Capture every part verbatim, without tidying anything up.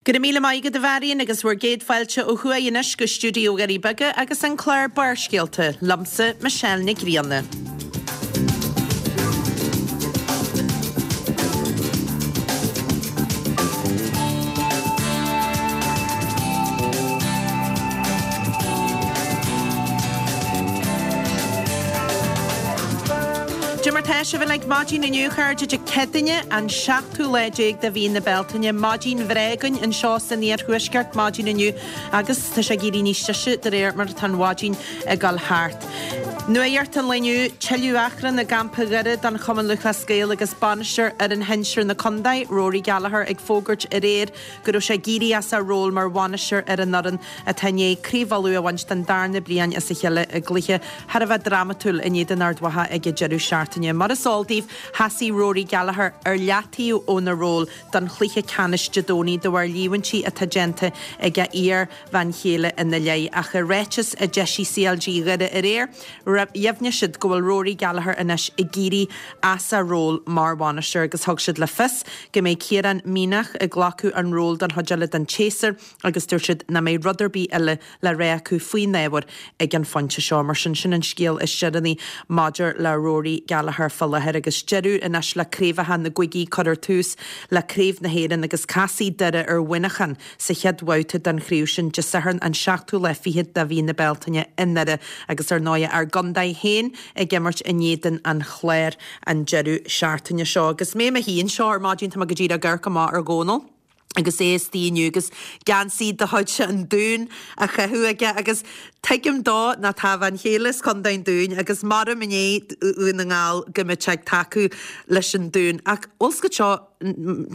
Go raibh míle maith agat a Mharion agus bhur gcéad fáilte ó thuaidh anois go stiúideo Dhoirí Beaga agus an clár Barrscéalta, liomsa Michelle Nic Grianna. Cad é mar tá sibh uilig maidin inniu a chairde Dé Céadaoine an seachtú lá déag de mhí na Bealtaine. Maidin bhreá againn anseo san iarthuaisceart maidin inniu agus tá sé ag éirí níos deise de réir mar atá an mhaidin ag dul thart. Nuacht an lae inniu, tuilleadh achrann i gcampa Dhoire don Chumann Lúthchleas Gael agus bainisteoir fhoireann shinsir na contae, Rory Gallagher ag fógairt aréir go raibh sé ag éirí as a ról mar bhainisteoir ar an fhoireann atá i ndiaidh Craobh Uladh a bhaint den darna bliain as a chéile i gcluiche thar a bheith drámatúil in éadan Ard Mhacha ag an deireadh seachtaine. Mar is eol daoibh, sheasaigh Rory Gallagher ar leataobh óna ról don chluiche ceannais Dé Domhnaigh de bharr líomhaintí atá déanta ag a iar-bhean chéile ina leith. Ach i ráiteas a d'eisigh CLG Dhoire aréir, dheimhnigh siad go bhfuil Rory Gallagher anois ag éirí as a ról mar bhainisteoir agus thug siad le fios go mbeidh Ciarán Mianach ag glacadh an ról don chuid eile den tséasúr agus dúirt siad nach mbeidh rud ar bith eile le rá acu faoin ábhar ag an phointe seo. Mar sin, sin an scéal is deireanaí maidir le Rory Gallagher fá láthair agus deireadh anois le craobhacha na gcúigí cuirfear tús le Craobh na hÉireann agus casfaidh Doire ar Mhuineachán sa chéad bhabhta den chraobh sin Dé Sathairn an seachtú lá fichead de mhí na Bealtaine i nDoire agus ar ndóigh ár gcontae féin ag imirt in éadan an Chláir an deireadh seachtaine seo. Agus mé i mo shuí anseo ar maidin tá mé go díreach ag amharc amach ar Dhónal. agus é istigh inniu agus geansaí de chuid an Dúin á chaitheamh aige agus tuigim dó ná tá a bhean chéile as Contae an Dúin agus maram i ndiaidh Dhún na nGall go mbeadh sé ag tacú leis an Dún. Ach bhfuil 's agat seo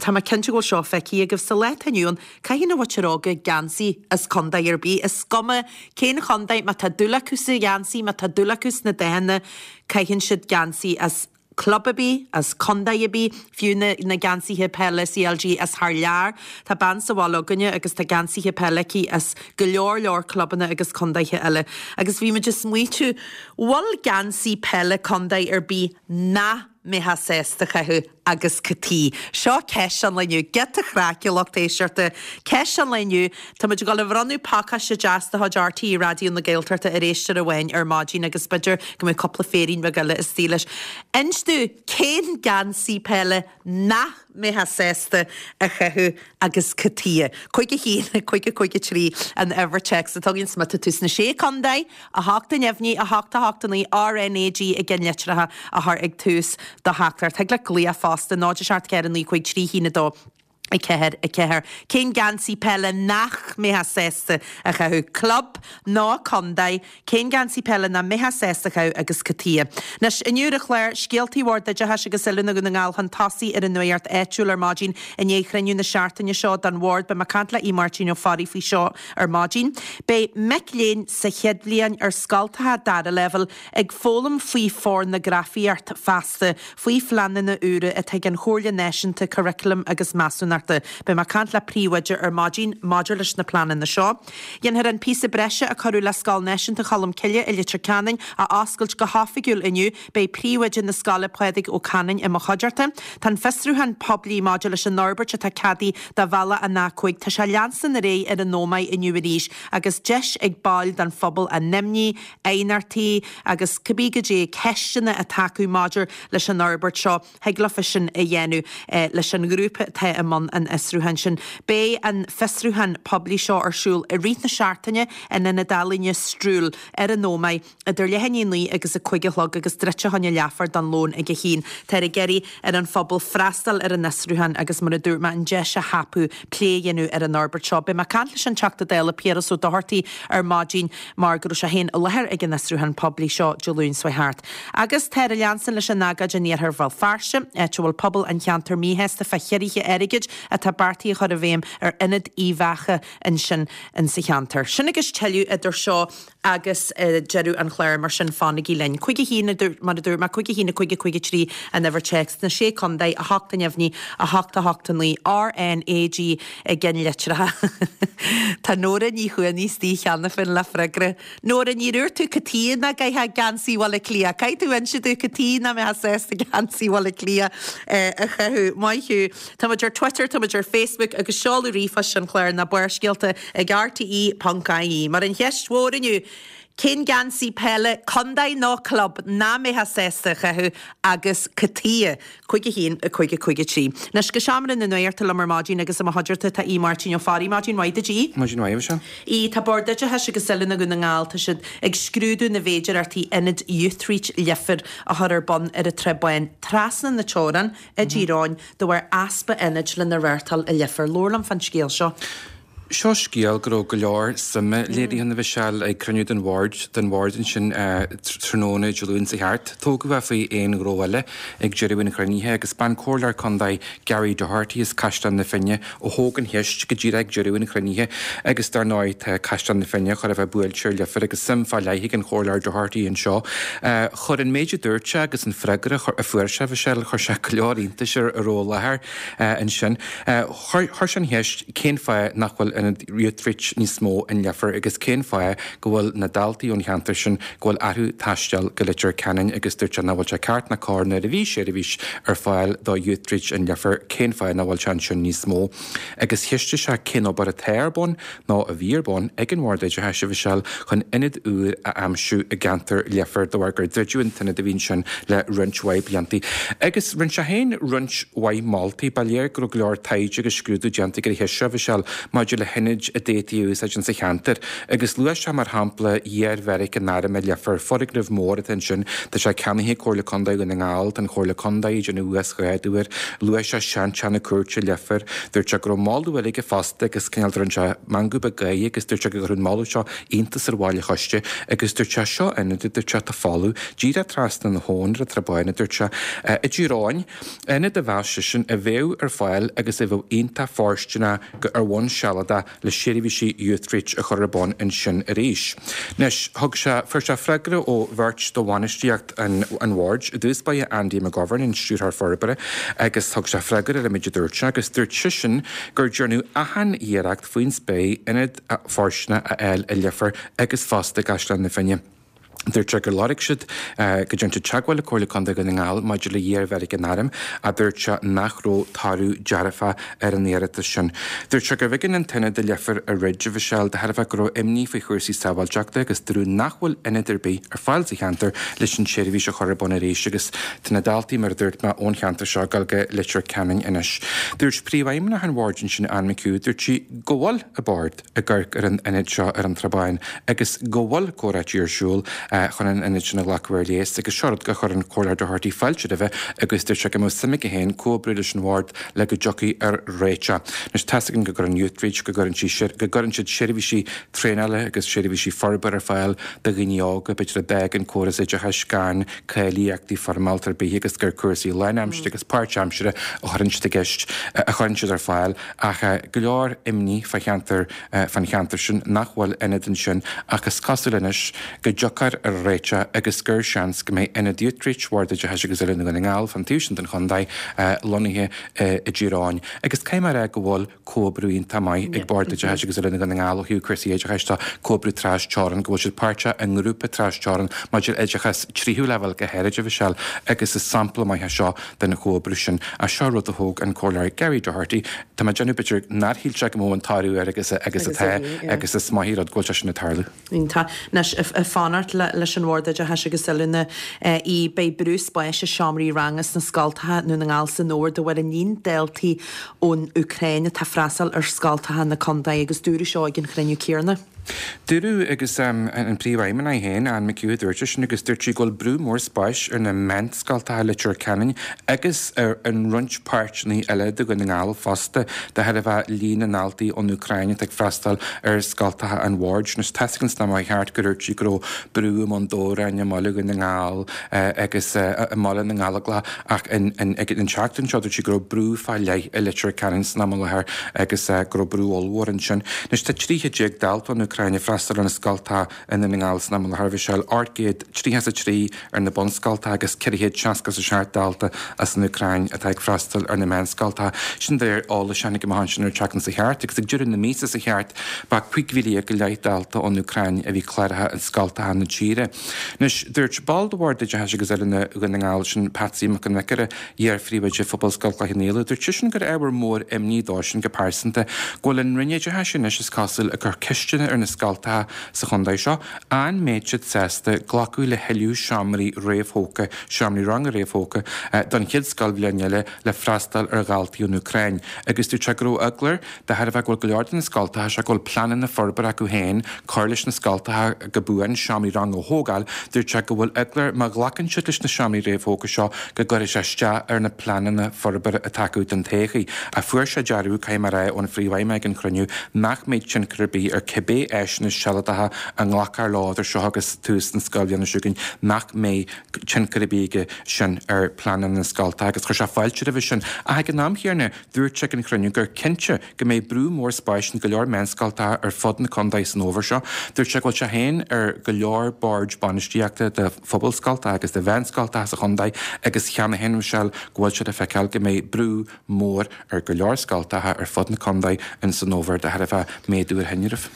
tá mé cinnte go bhfuil seo feicthe agaibh sa lá atá inniu ann caitheann an mhuintir óga geansaí as contae ar bith. Is cuma cén chontae má tá dúil acu sa gheansaí, má tá dúil acu sna dathanna, caitheann siad geansaí as club ar bith, as contae ar bith, fiú na, na geansaithe peile CLG as thar lear. Tá bean sa bhaile againne agus tá geansaithe peile aici as go leor leor clubanna agus contaetha eile. Agus bhí muid ag smaoitiú, bhfuil geansaí peile contae ar bith nach mbeifeá sásta a chaitheamh agus cad chuige. Seo ceist an lae inniu, giota craic a lucht éisteachta. Ceist an lae inniu, Tá muid ag dul a bhronnadh pacáiste deas de chuid RTÉ Raidió na Gaeltachta ar éisteoir amháin ar maidin agus b'fhéidir go mbeidh cúpla féirín beag eile istigh leis. Inis domh cén geansaí peile nach mbeifeá sásta a chaitheamh agus cad chuige. Cúig a haon, cúig a cúig a trí an uimhir téacs atá againn, má tá tú sna Sé Chontae, a hocht a neamhní, a hocht a hocht a naoi, RNAG i gceannlitreacha a chur ag tús do theachtaireacht. Thig leat glaoch fosta, náid a seacht ceathair a naoi cúig trí haon a dó a ceathair a ceathair. Cén geansaí peile nach mbeifeá sásta a chaitheamh? Club nó contae? Cén geansaí peile nach mbeifeá sásta a chaitheamh agus cad chuige? Anois, inniu ar an chlár, scéaltaí Bhord Oideachais agus Oiliúna Dhún na nGall chun tosaigh ar an nuacht áitiúil ar maidin i ndiaidh chruinniú na seachtaine seo den Bhord. Beidh mé ag caint le Aodh Máirtín Ó Fearraigh faoi seo ar maidin. Beidh mic léinn sa chéad bhliain ar scoltacha dara leibhéal ag foghlaim faoi phornagrafaíocht feasta, faoi phleananna úra atá ag an Chomhairle Náisiúnta Curaclaim agus Measúnachta. Beidh mé ag caint le príomhoide ar maidin maidir leis na pleananna seo. Dhéanfar an píosa breise a cuireadh le Scoil Náisiúnta Cholmcille i Leitir Ceanainn a oscailt go hoifigiúil inniu. Beidh príomhoide na scoile Pádraig Ó Canainn i mo chuideachta. Tá an fiosrúchán poiblí maidir leis an fhorbairt atá ceadaithe do bhealach an A cúig. Tá sé ag leanstan ar aghaidh ar an Ómaigh inniu arís agus deis ag baill den phobal a n-imní, aighneachtaí agus cibé goidé ceisteanna atá acu maidir leis an fhorbairt seo, thig leofa sin a dhéanamh leis an ngrúpa atá i mbun an fhiosrúcháin sin. Beidh an fiosrúchán poiblí seo ar siúl i rith na seachtaine in Ionad Ealaíne Strule ar an Ómaigh idir leath i ndiaidh a naoi agus a cúig a chlog agus druidte fá choinne leathuair don lón ag a haon. Táthar ag iarraidh ar an phobal freastal ar an fhiosrúchán agus mar a dúirt mé an deis a thapú plé a dhéanamh ar an fhorbairt seo. Beidh mé ag caint leis an Teachta Dála Piaras Ó Dochartaigh ar maidin mar go raibh sé féin i láthair ag an fhiosrúchán poiblí seo Dé Luain seo thart. Agus táthar ag leanstan leis an agóid in iarthar Bhéal Feirste, áit a bhfuil pobal an cheantair míshásta fá chiorruithe airgid atá beartaithe a chur i bhfeidhm ar Ionad Uíbh Eachach ansin insa cheantar. Sin agus tuilleadh idir seo agus deireadh an chláir, mar sin fanaigí linn. Cúig a haon, mar a dúirt mé, cúig a haon a cúig a cúig a trí an uimhir téacs sna Sé Contae, a hocht a neamhní, a hocht a hocht a naoi, RNAG i gceannlitreacha. Tá Nóra Ní Chuanaigh istigh cheana féin le freagra. Nóra, ní dúirt tú cad chuige nach gcaithfeá geansaí Bhaile Átha Cliath. Caithfidh tú inse domh cad chuige nach mbeifeá sásta geansaí Bhaile Átha Cliath a chaitheamh. Maith thú. Tá muid ar Twitter Twitter, tá muid ar Facebook agus seoladh ríomhphoist an chláir ná Barrscéalta ag R T E ponc I E. Mar an cheist mhór inniu, cén geansaí peile contae nó club nach mbeifeá sásta a chaitheamh agus cad chuige? Cúig a haon a cúig a cúig a trí. Anois go seomra na nuachta liom ar maidin agus i mo chuideachta tá Aodh Máirtín Ó Fearraigh. Maidin mhaith duit, a Aoidh. Maidin mhaith seo. Í tá Bord Oideachais agus Oiliúna Dhún na nGall, tá siad ag scrúdú na bhféidearthachtaí ionad Youthreach Leifear a chur ar bun ar an Trá Bháin trasna na teorann i dTír Eoghain de bharr easpa ionaid lena reáchtáil i Leifear. Labhair liom fán scéal seo. Seo scéal go raibh go leor suime léirithe ann, a Mhichelle, ag cruinniú den bhord den bhord ansin tráthnóna Dé Luain seo thart. Tógadh é faoi aon ghnó eile ag deireadh an chruinnithe agus b'an Comhairleoir Contae Gary Doherty as Caisleán na Finne a thóg an cheist go díreach ag deireadh an chruinnithe agus dar ndóigh tá Caisleán na Finne chóir a bheith buailte ar Leifear agus suim fá leith ag an Chomhairleoir Doherty anseo. Chuir an méid a dúirt sé agus an freagra a fuair sé, Michelle, chuir sé go leor iontais ar a raibh i láthair ansin. Chuir sé an cheist cén fáth nach bhfuil ionad Youthreach níos mó in Leifear agus cén fáth go bhfuil na daltaí ón cheantar sin go bhfuil orthu taisteal go Leitir Ceanainn agus dúirt sé nach bhfuil sé ceart ná cóir nuair a bhí seirbhís ar fáil do Youthreach in Leifear cén fáth nach bhfuil sé ansin níos mó. Agus cheistigh sé cén obair atá ar bun nó a bhí ar bun ag an Bhord Oideachais, a Mhichelle, chun ionad úr a aimsiú i gceantar Leifear de bharr gur druideadh an t-ionad a bhí ansin le roinnt mhaith blianta. Agus rinne sé féin roinnt mhaith moltaí. Ba léir go raibh go leor taighde agus scrúdú déanta ar an cheist seo, a Mhichelle, maidir le hionaid a d'fhéadfaí a úsáid sa cheantar. Agus luaigh sé mar shampla iar-bheairic an Airm i Leifear, foirgneamh mór atá ansin, tá sé ceannaithe Comhairle Contae Dhún na nGall, tá an Chomhairle Contae ag déanamh uasghrádú air. Luaigh sé seanteach na cúirte Leifear, dúirt sé go raibh moladh eile aige fosta agus cineál rinne sé meangadh beag gáire agus dúirt sé go gcuirfeadh an moladh seo iontas ar bhaill an choiste agus dúirt sé seo ionad a dúirt sé atá folamh díreach trasna na habhann ar an Trá Báin a dúirt sé i dTír Eoghain, ionad a mheas seisean a bheadh ar fáil agus a bheadh iontach fóirsteanach go ar bhonn sealadach le seirbhísí Youthreach a chur ar bun ansin arís. Anois thug sé fuair sé freagra ó bheirt de bhainistíocht an an bhoird i dtús báire Andy McGovern an stiúrthóir forbartha agus thug sé freagra ar an méid a dúirt sé agus dúirt seisean gur déanadh achan iarracht faoin spéir ionad fóirsteanach a fháil i Leifear agus fosta i gCaisleán na Finne. Dúirt sé gur lorg siad go ndearna siad teagmháil le Comhairle Contae Dhún na nGall maidir le hiar-bheairic an Airm a dúirt sé nach raibh toradh dearfach ar an iarratas sin. Dúirt sé gurbh éigean an t-ionad i Leifear a dhruid, a Mhichelle, de thairbhe go raibh imní faoi chúrsaí sábháilteachta agus dúradh nach bhfuil ionad ar bith ar fáil sa cheantar leis an tseirbhís a chur ar bun arís agus tá na daltaí mar a dúirt mé ón cheantar seo ag dul go Leitir Ceanainn anois. Dúirt príomhfheidhmeannach an bhoird ansin Ann McHugh, dúirt sí go bhfuil an bord ag amharc ar an ionad seo ar an Trá Báin agus go bhfuil comhráití ar siúl chun an ionad sin a ghlacadh ar léas agus seo rud gur chuir an Comhairleoir Doherty fáilte roimhe agus dúirt sé go mbeadh suim aige féin comhoibriú leis an bhord le go dtiocfaí ar réiteach. Anois tá's againn go gcuireann Youthreach go gcuireann sí go gcuireann siad seirbhísí traenála agus seirbhísí forbartha ar fáil do dhaoine óga b'fhéidir a d'fhág an córas oideachais gan cáilíochtaí foirmeálta ar bith agus gur cúrsaí lánaimseartha agus páirtaimseartha a chuireann siad i gceist a chuireann siad ar fáil ach go leor imní fá cheantar fan cheantar sin nach bhfuil ionad ansin ach is cosúil anois go dtiocfar ar réiteach agus gur seans go mbeidh ionad Youthreach Bhord Oideachais agus Oiliúna Dhún na nGall fan taobh sin den chontae lonnaithe i dTír Eoghain. Agus caithfidh mé a rá go bhfuil comhoibriú iontach maith ag Bord Oideachais agus Oiliúna Dhún na nGall ó thaobh cúrsaí oideachais tá comhoibriú trasteorann go bhfuil siad páirteach i ngrúpa trasteorann maidir oideachas tríú leibhéal go háirid, a Mhichelle, agus is sampla maith seo den chomhoibriú sin a seo rud a thóg an Comhairleoir Gary Doherty Tá mé ag déanamh b'fhéidir nár shíl sé go mbeadh an toradh air agus agus atá agus is maith rud go bhfuil sé sin ag tarlú. Tá anois ag fanacht leis an Bhord Oideachais agus Oiliúna í beidh brú spáis i seomraí ranga sna scoltacha i nDún na nGall san fhómhar de bharr an líon daltaí ón Úcráin atá ag freastal ar scoltacha na contae agus dúradh seo ag an chruinniú céanna. Dúradh agus um, an príomhfheidhmeannach féin Ann McHugh dúirt sin agus dúirt sí go bhfuil brú mór spáis ar na meánscoltacha Leitir Ceanainn agus ar an roinnt páirteanna eile de Dhún na nGall fosta de thairbhe líon na ndaltaí ón Úcráin atá ag freastal ar scoltacha an bhoird. Anois tá a fhios againn mar cheart gur dúirt sí go raibh brú i mBun Dobhráin i mBaile Dhún na nGall agus i mBaile na nGallóglach ach an tseachtain seo dúirt sí go raibh brú fá leith i Leitir Ceanainn san am i láthair agus go raibh brú ollmhór ansin. Anois tá trí chéad dalta ón Úcráin ag freastal ar na scoltacha i nDún na nGall san am i láthair Mhichelle ocht gcéad tríocha a trí ar na bunscoltacha agus ceithre chéad seasca a seacht dalta as an Úcráin atá ag freastal ar na meánscoltacha. Sin de réir eolais a tháinig amach ansin ar an tseachtain seo thart agus ag deireadh na míosa seo thart ba cúig mhíle go leith dalta ón Úcráin a bhí cláraithe i scoltacha na tíre. tíre. Anois, dúirt ball de Bhord Oideachais agus Oiliúna Dhún na nGall, sin Patsy Mac an Bhiocaire, iar-phríomhoide Phobalscoil Chloich Cheann Fhaola, dúirt seisean gur ábhar mór imní dósan go pearsanta go bhfuil an Roinn Oideachais anois is cosúil ag cur ceisteanna ar na scoltacha sa chontae seo, an mbeidh siad sásta glacadh le thuilleadh seomraí réamhthógtha, seomraí ranga réamhthógtha, don chéad scoilbhliain eile le freastal ar dhaltaí ón Úcráin. Agus dúirt sé go raibh eagla air de thairbhe go bhfuil go leor de na scoltacha seo go bhfuil pleananna forbartha acu féin cur leis na scoltacha go buan, seomraí ranga a thógáil. Dúirt sé go bhfuil eagla air má ghlacann siad leis na seomraí réamhthógtha seo go gcuirfidh sé isteach ar na pleananna forbartha atá acu don todhchaí. Ach fuair sé dearbhú, caithfidh mé a rá, ón phríomhfheidhmeannach ag an chruinniú nach mbeidh tionchar ar bith ar cibé áiseanna sealadacha a nglacfar leo idir seo agus tús na scoilbhliana seo chugainn, nach mbeidh tionchar ar bith aige sin ar phleananna na scoltacha agus chuir sé fáilte roimhe sin. Ach ag an am chéanna, dúirt sé ag an chruinniú gur cinnte go mbeidh brú mór spáis in go leor meánscoltacha ar fud na contae san fhómhar seo. Dúirt sé go bhfuil sé féin ar go leor boird bainistíochta de phobalscoltacha agus de mheánscoltacha sa chontae agus cheana féin, Michelle, go bhfuil siad ag feiceáil go mbeidh brú mór ar go leor scoltacha ar fud na contae in san fhómhar de thairbhe méadú ar thinreamh.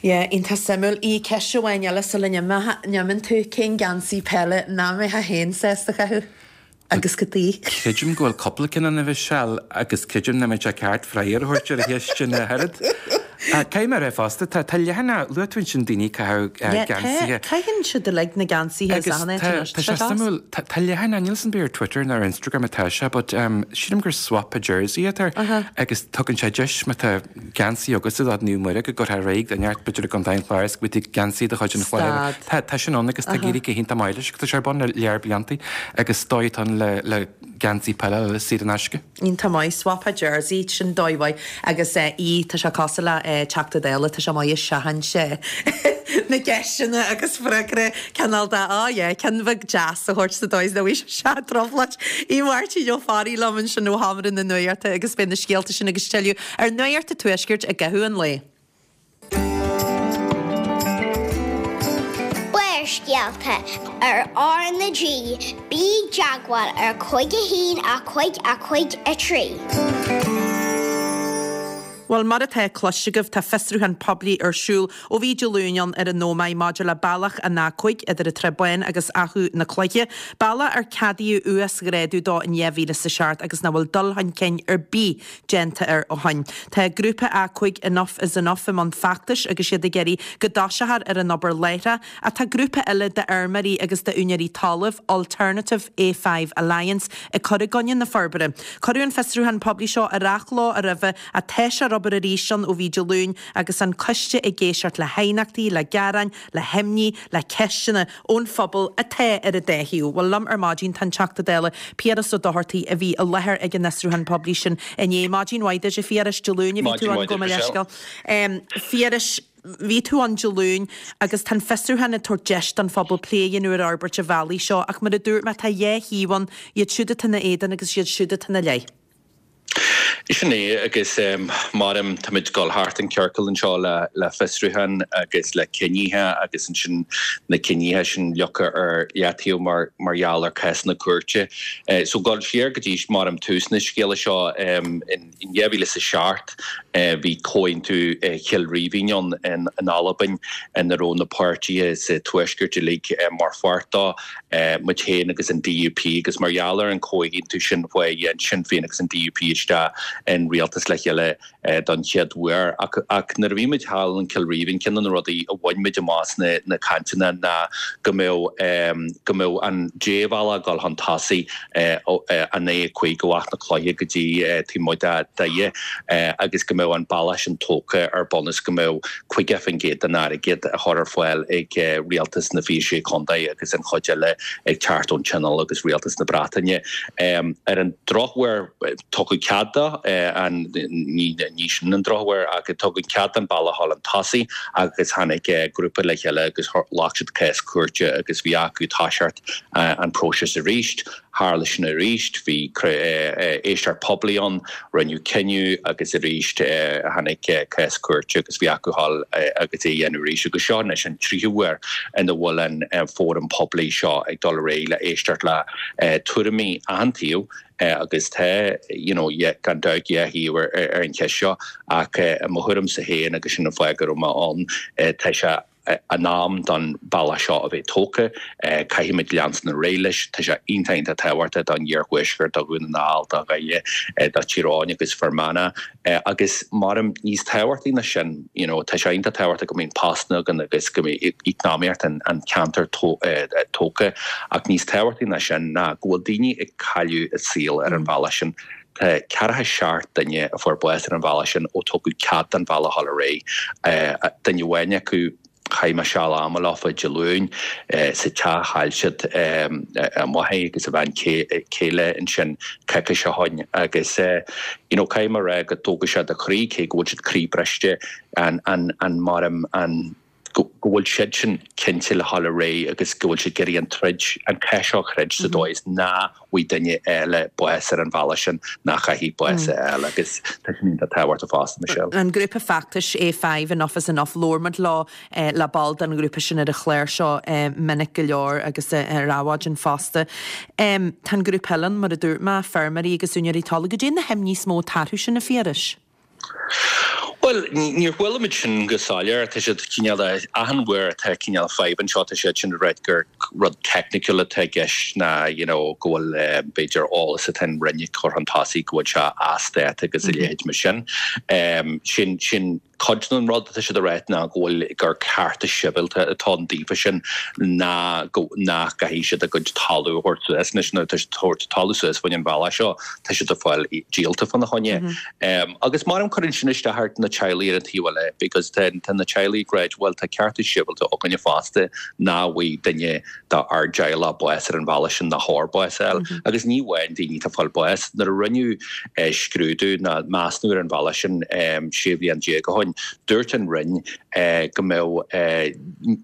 Yeah, iontach suimiúil. Í ceist amháin eile sula n-imíonn tú, cén geansaí peile nach mbeifeá féin sásta a chaitheamh? Agus cad chuige? Creidim go bhfuil cúpla ceann ann, a Mhichelle, agus creidim nach mbeidh sé ceart freagra a thabhairt ar an cheist sin ach oiread. Caithfidh mé a rá fosta, tá tá leathanach, luaigh tú ansin daoine ag caitheamh geansaithe. Caitheann siad uilig na geansaithe is achan áit anois, Tá sé suimiúil, tá leathanach, níl 'fhios a'm ar Twitter nó ar Instagram atá sé, but sílim gur swap a jersey atá air agus tugann sé deis má tá geansaí agatsa do Naomh Muire go gcuirfeá ar aghaidh duine inteacht b'fhéidir i gContae an Chláir is go bhfaighidh tú geansaí de chuid an Chláir. Tá tá sin ann agus tá ag éirí go hiontach maith leis agus tá sé ar bun le lear blianta agus dóigh atá ann le le geansaí peile a fháil saor in aisce. Iontach maith, swap a jersey, sin dóigh mhaith agus í, tá sé cosúil le Teachta Dála, tá sé maith ag seachaint na gceisteanna agus freagra cineál de, oh yeah, ceann bheag deas a thabhairt sa dóigh is nach bhfaighidh sé trioblóid. Í Máirtín Ó Fearraigh liom ansin ó Sheomra na Nuachta agus beidh na scéalta sin agus tuilleadh ar Nuacht an Tuaiscirt i gcaitheamh an lae. Barrscéalta ar R na G, bí i dteagmháil ar cúig a haon a cúig a cúig a trí. Bhuel, mar atá cloiste agaibh, tá fiosrúchán poiblí ar siúl ó bhí Dé Luain ann ar an Ómaigh maidir le bealach an A cúig idir an tSrath Bán agus Achadh na Cloiche, bealach ar ceadaíodh uasghrádú dó in dhá mhíle is a seacht agus nach bhfuil dul chun cinn ar bith déanta air ó shin. Tá grúpa A cúig Enough is Enough i mbun feachtais agus iad ag iarraidh go dtoiseofar ar an obair láithreach ach tá grúpa eile d'fheirmeoirí agus d'úinéirí talaimh, Alternative A five Alliance, ag cur i gcoinne na forbartha. Cuireadh an fiosrúchán poiblí seo ar athló roimhe ach tá sé ar obair arís ann ó bhí Dé Luain agus an coiste ag éisteacht le haighneachtaí, le gearáin, le himní, le ceisteanna ón phobal atá ar an dá thaobh. Bhuel, liom ar maidin tá an Teachta Dála Piaras Ó Dochartaigh a bhí i láthair ag an fhiosrúchán poiblí sin inné. Maidin mhaith duit, a Phiarais. Dé Luain a bhí tú ann, gabh mo leithscéal. Phiarais, bhí tú ann Dé Luain agus tá an fiosrúchán ag tabhairt deis don phobal plé a dhéanamh ar fhorbairt an bhealaigh seo ach mar a dúirt mé tá dhá thaobh ann, iad siúd atá ina éadan agus iad siúd atá ina leith. Sin é, agus maram táimid ag dul thart an ciorcal anseo le le fiosrúchán agus le cinnithe agus ansin na cinnithe sin leagtha ar leataobh mar mar gheall ar cásanna cúirte. So dul siar go dtí maram tús na scéala seo in In dhá mhíle is a seacht bhí Comhaontú Chill Rímhinn ann in Albain ina raibh na páirtithe sa Tuaisceart uilig mar pháirt dó, muid féin agus an DUP, agus mar gheall ar an chomhaontú sin chuaigh Sinn Féin agus an DUP isteach in rialtas le chéile don chéad uair. Ach nuair a bhí muid thall in Cill Rímhinn, ceann de na rudaí a bhain muid amach sna na cainteanna ná go mbeadh go mbeadh an débhealach ag dul chun tosaigh, an A cúig ó Achadh na Cloiche go dtí taobh amuigh de Dhoire agus go mbeadh an bealach sin tógtha ar bunús go mbeadh caoga faoin gcéad den airgead á chur ar fáil ag rialtas na fiche sé contae agus an chuid eile ag teacht ón Tionól agus rialtas na Breataine. Ar an drochuair tugadh cead dó, ní sin an drochuair ach tugadh cead don bealach a dhul chun tosaigh agus tháinig grúpa le chéile agus ghlac siad cás cúirte agus bhí acu toiseacht an próiseas arís. Tharla sin arís, bhí éisteacht poiblí ann, rinneadh cinneadh agus arís tháinig cás cúirte agus bhí acu dhul agus é a dhéanamh arís. Agus seo anois an tríú huair ina bhfuil an fóram poiblí seo ag dul ar aghaidh le éisteacht le tuairimí achan taobh agus tá, you know, gan dabht dhá thaobh ar an cheist seo ach i mo thuairimse féin agus sin an fáth go raibh mé ann, tá sé in am don bhealach seo a bheith tógtha, caithfimid leanstan ar aghaidh leis, tá sé iontach iontach tábhachtach don iarthuaisceart, do Dhún na nGall, do Dhoire, do Thír Eoghain agus Fear Manach agus maram níos tábhachtaí ná sin, you know, tá sé iontach tábhachtach go mbíonn postanna againn agus go mbíonn eacnamaíocht an cheantair tógtha ach níos tábhachtaí ná sin ná go bhfuil daoine ag cailleadh a saol ar an bhealach sin. Tá ceathracha seacht duine a fuair bás ar an bhealach sin ó tugadh cead don bhealach dhul ar aghaidh. Duine amháin acu, chaith mé seal ama leofa Dé Luain sa teach, chaill siad a máthair agus a bhean chéile ansin coicís ó shin agus you know caithfidh mé a rá go dtógann sé do chroí, cé go bhfuil siad croíbhriste, an an an mar an go bhfuil siad sin cinnte le dhul ar aghaidh agus go bhfuil siad ag iarraidh an troid, an cath seo a throid sa dóigh is nach bhfaighidh duine eile bás ar an bhealach sin, nach gcaithfidh bás a fháil agus tá sin iontach tábhachtach fosta, Michelle. An grúpa feachtais A five, Enough is Enough, labhair muid leo, le ball den ghrúpa sin ar an chlár seo minic go leor agus ar Adhmhaidin fosta. Tá an grúpa eile ann, mar a dúirt mé, feirmeoirí agus úinéirí talaimh. Goidé na himní is mó atá orthu sin, a Phiarais? Bhuel, níor chuala muid sin go soiléir. Tá siad cineál de, achan uair atá cineál fadhb anseo, tá siad sin ag ráit gur rud teicniciúil atá i gceist ná you know go bhfuil b'fhéidir eolas atá an Roinn ag cur chun tosaigh go bhfuil sé as dáta agus a leithéid mar sin. Sin, sin cuid den rud atá siad ag ráit ná go bhfuil, gur cearta sibhialta atá ann daofa sin ná go, nach gcaithfidh siad a gcuid talamh a thabhairt suas. Anois nuair atá siad ag tabhairt talamh suas faoin an bhealach seo, tá siad ag fáil díolta fána choinne. Agus maram cuireann sin isteach ar na teaghlaigh ar an taobh eile because tá na teaghlaigh ag ráit bhuel tá cearta sibhialta againne fosta nach bhfaighidh duine dár dteaghlach bás ar an bhealach sin nach chóir bás a fháil. Agus ní amháin daoine atá ag fáil bás. Nuair a rinneadh scrúdú ná measúnú ar an bhealach sin sé bhliain déag ó shin, dúirt an Roinn go mbeadh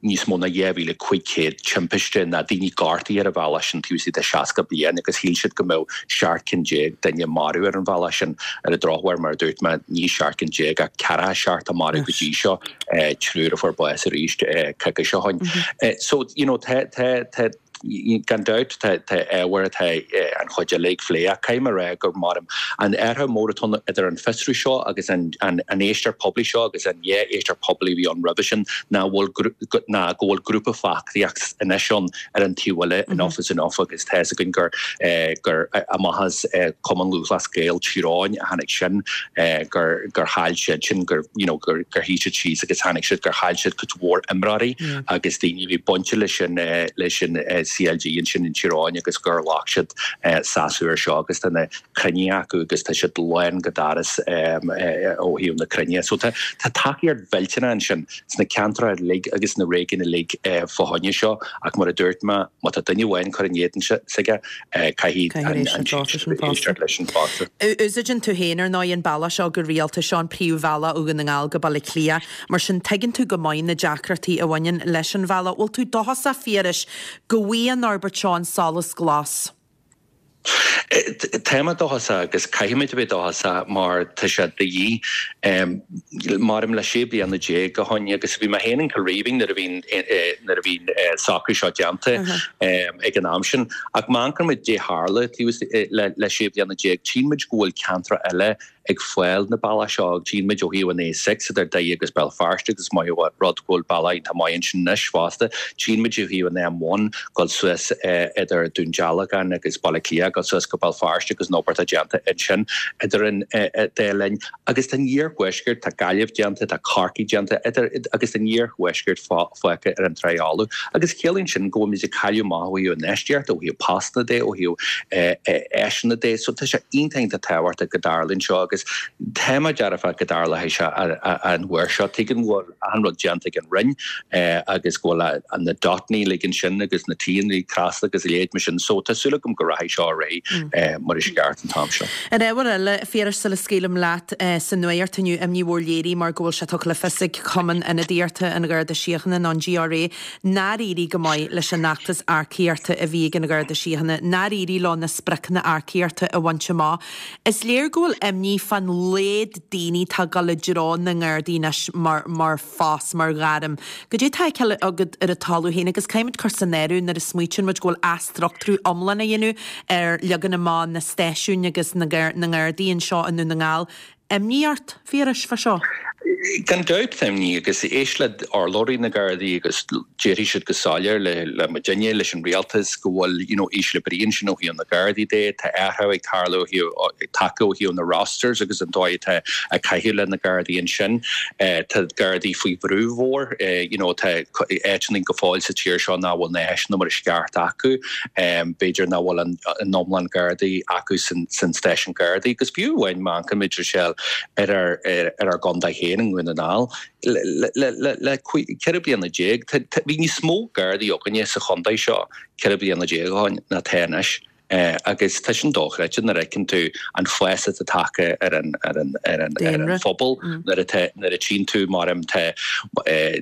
níos mó ná dhá mhíle cúig chéad timpiste ná daoine gortaithe ar an bhealach sin taobh istigh de seasca bliain agus shíl siad go mbeadh seacht gcinn déag duine marbh ar an bhealach sin. Ar an drochuair, mar a dúirt mé, ní seacht gcinn déag ach ceathracha seacht a maraíodh go dtí seo, triúr a fuair bás arís coicís ó shin. So, you know, tá, tá, tá, gan dabht, tá, tá ábhar atá an chuid eile ag plé ach caithfidh mé a rá gur maram an athrú mór atá ann idir an fiosrú seo agus an, an, an éisteacht poiblí seo agus an dhá éisteacht poiblí a bhí ann roimhe sin ná bhfuil, ná go bhfuil grúpa feachtaíocht anois ann ar an taobh eile, Enough is Enough agus tá fhios againn gur, gur amach as Cumann Lúthchleas Gael Tír Eoghain a tháinig sin, gur, gur chaill siad sin, gur, you know, gur, gur shuigh siad síos agus tháinig siad gur chaill siad cuid mhór imreoirí agus daoine a bhí bainte leis sin, leis an CLG ansin in Tír Eoghain agus gur ghlac siad seasamh air seo agus tá na cruinnithe acu agus tá siad lán go doras ó thaobh na cruinnithe. So tá, tá tacaíocht mhillteanach ansin sna ceantracha uilig agus sna réigiúin uilig fá choinne seo ach mar a dúirt mé, má tá duine amháin ag cur in éadan s'aige, caithfidh an éisteacht leis sin fosta. Úsáideann tú féin ar ndóigh an bealach seo go rialta, seo an príomhbhealach ó Dhún na nGall go Baile Átha Cliath, mar sin tuigeann tú go maith na deacrachtaí a bhaineann leis an bhealach. Bhfuil tú dóchasach, a Phiarais, go bhfaighidh an fhorbairt seo an solas glas? Tá mé dóchasach agus caithfimid a bheith dóchasach mar tá sé de dhíth. Maram le sé bliana déag ó shin agus bhí mé féin in Cill Rímhinn nuair a bhí nuair a bhí an socrú seo déanta ag an am sin. Ach má amharcann muid caidé tharla le le sé bliana déag, tchíonn muid go bhfuil ceantracha eile ag fáil na bealach seo. Tchíonn muid ó thaobh an A six idir Doire agus Béal Feirste agus is maith an rud go bhfuil bealach iontach maith ansin anois fosta. Tchíonn muid ó thaobh an M one dul suas idir Dún Dealgan agus Baile Átha Cliath, dul suas go Béal Feirste agus an obair atá déanta ansin idir an dá linn. Agus tá an iarthuaisceart, tá Gaillimh déanta, tá Corcaigh déanta idir agus an iarthuaisceart fágtha ar an trá fholamh. Agus ciallaíonn sin go bhfuil muid ag cailleadh amach ó thaobh infheistíochta, ó thaobh postanna de, ó thaobh áiseanna de. So tá sé iontach iontach tábhachtach go dtarlaíonn seo agus tá mé dearfach go dtarlóidh sé an uair seo. Tuigim go bhfuil achan rud déanta ag an Roinn agus go bhfuil na dotanna uilig ansin agus na T-anna trasna agus a leithéid mar sin. So tá súil agam go rachaidh seo ar aghaidh mar is ceart an t-am seo. Ar ábhar eile, a Phiarais, sula scaoilim leat, sa nuacht inniu imní mhór léirithe mar go bhfuil sé tugtha le fios ag Cumann Ionadaíochta an Gharda Síochána nó an GRA nár éirigh go maith leis an fheachtas earcaíochta a bhí ag an Gharda Síochána, nár éirigh leo na spriocanna earcaíochta a bhaint amach. Is léir go bhfuil imní fán laghad daoine atá ag dul i dtreo na nGardaí anois mar mar phost, mar ghairm. Goidé atá á fheiceáil agat ar an talamh féin agus caithfimid cur san áireamh nuair a smaoitíonn muid go bhfuil athstruchtúrú iomlán á dhéanamh ar leagan amach na stáisiún agus na na nGardaí anseo i nDún na nGall. imní ort, a Phiarais, fá seo? Gan dabht tá imní agus éist le urlabhraí na Gardaí agus déarfaidh siad go soiléir le le muidinne, leis an rialtas go bhfuil you know ísle brí ansin ó thaobh na Gardaí de, tá athrú ag tarlú ó thaobh ag tacú ó thaobh na rosters agus an dóigh atá ag caitheamh le na Gardaí ansin. Tá Gardaí faoi bhrú mhór, you know tá áiteanna go fóill sa tír seo nach bhfuil na háiseanna mar is ceart acu, b'fhéidir nach bhfuil an iomlán Gardaí acu san san stáisiún Gardaí agus fiú amháin má amharcaimid Rochelle ar ár ar ár gcontae féin i nDún na nGall le ceithre bliana déag bhí níos mó Gardaí againne sa chontae seo ceithre bliana déag ó shin ná tá anois. Agus tá sin dochreidte nuair a fheiceann tú an fás atá tagtha ar an ar an ar an ar an phobal nuair atá nuair a tchíonn tú mar em tá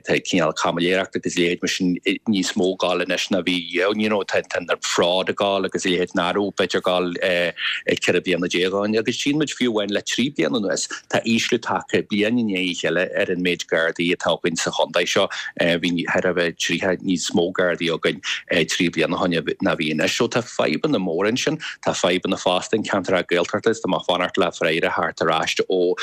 tá cineál caimiléireacht agus a leithéid mar sin níos mó ag gabháil anois ná bhí you know tá tá an fraud ag gabháil agus a leithéid nach raibh b'fhéidir ag gabháil ceithre bliana déag ó shin agus tchíonn muid fiú amháin le trí bliana anuas tá ísliú tagtha bliain i ndiaidh a chéile ar an méid Gardaí atá againn sa chontae seo. Bhí thar a bheith tríocha níos mó Gardaí againn trí bliana ó shin ná bhí anois. So tá fadhbanna móra ansin. Tá fadhbanna fosta in ceantracha Gaeltachta is tá mé ag fanacht le freagra a theacht ar ais ó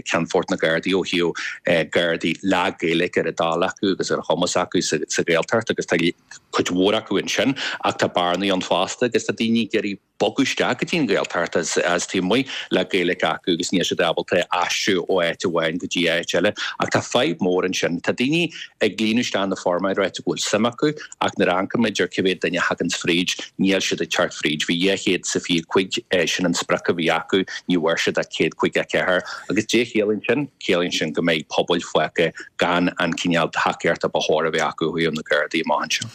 Ceannfort na Gardaí ó thaobh Gardaí le Gaeilge ar a dtoil acu agus ar a chumas acu sa Ghaeltacht agus tá cuid mhór acu ansin ach tá bearnaí ann fosta agus tá daoine ag iarraidh bogadh isteach go dtí an Ghaeltacht as as taobh amuigh le Gaeilge acu agus níl siad ábalta aistriú ó áit amháin go dtí áit eile. Ach tá fadhb mhór ansin. Tá daoine ag líonadh isteach na foirm ag ráit go bhfuil suim acu ach nuair a amharcaimid ar cé mhéad duine a thagann fríd, níl siad ag teacht fríd. Bhí dhá chéad is a fiche cúig, sin an sprioc a bhí acu, ní bhfuair siad ach céad caoga a ceathair. Agus cad é a chiallaíonn sin? Ciallaíonn sin go mbeidh pobail fágtha gan an cineál tacaíochta ba chóir a bheith acu ó thaobh na Gardaí amach anseo.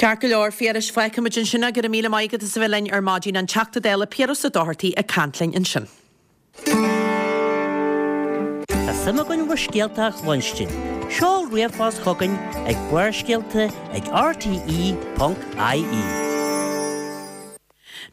Ceart go leor, a Phiarais, fágfaimid ansin é. Go raibh míle maith agat as a bheith linn ar maidin, an Teachta Dála Piaras Ó Dochartaigh ag caint linn ansin. Tá suim againn bhur scéalta a chluinstin. Seol ríomhphost chugainn ag Barrscéalta ag R T E ponc I E.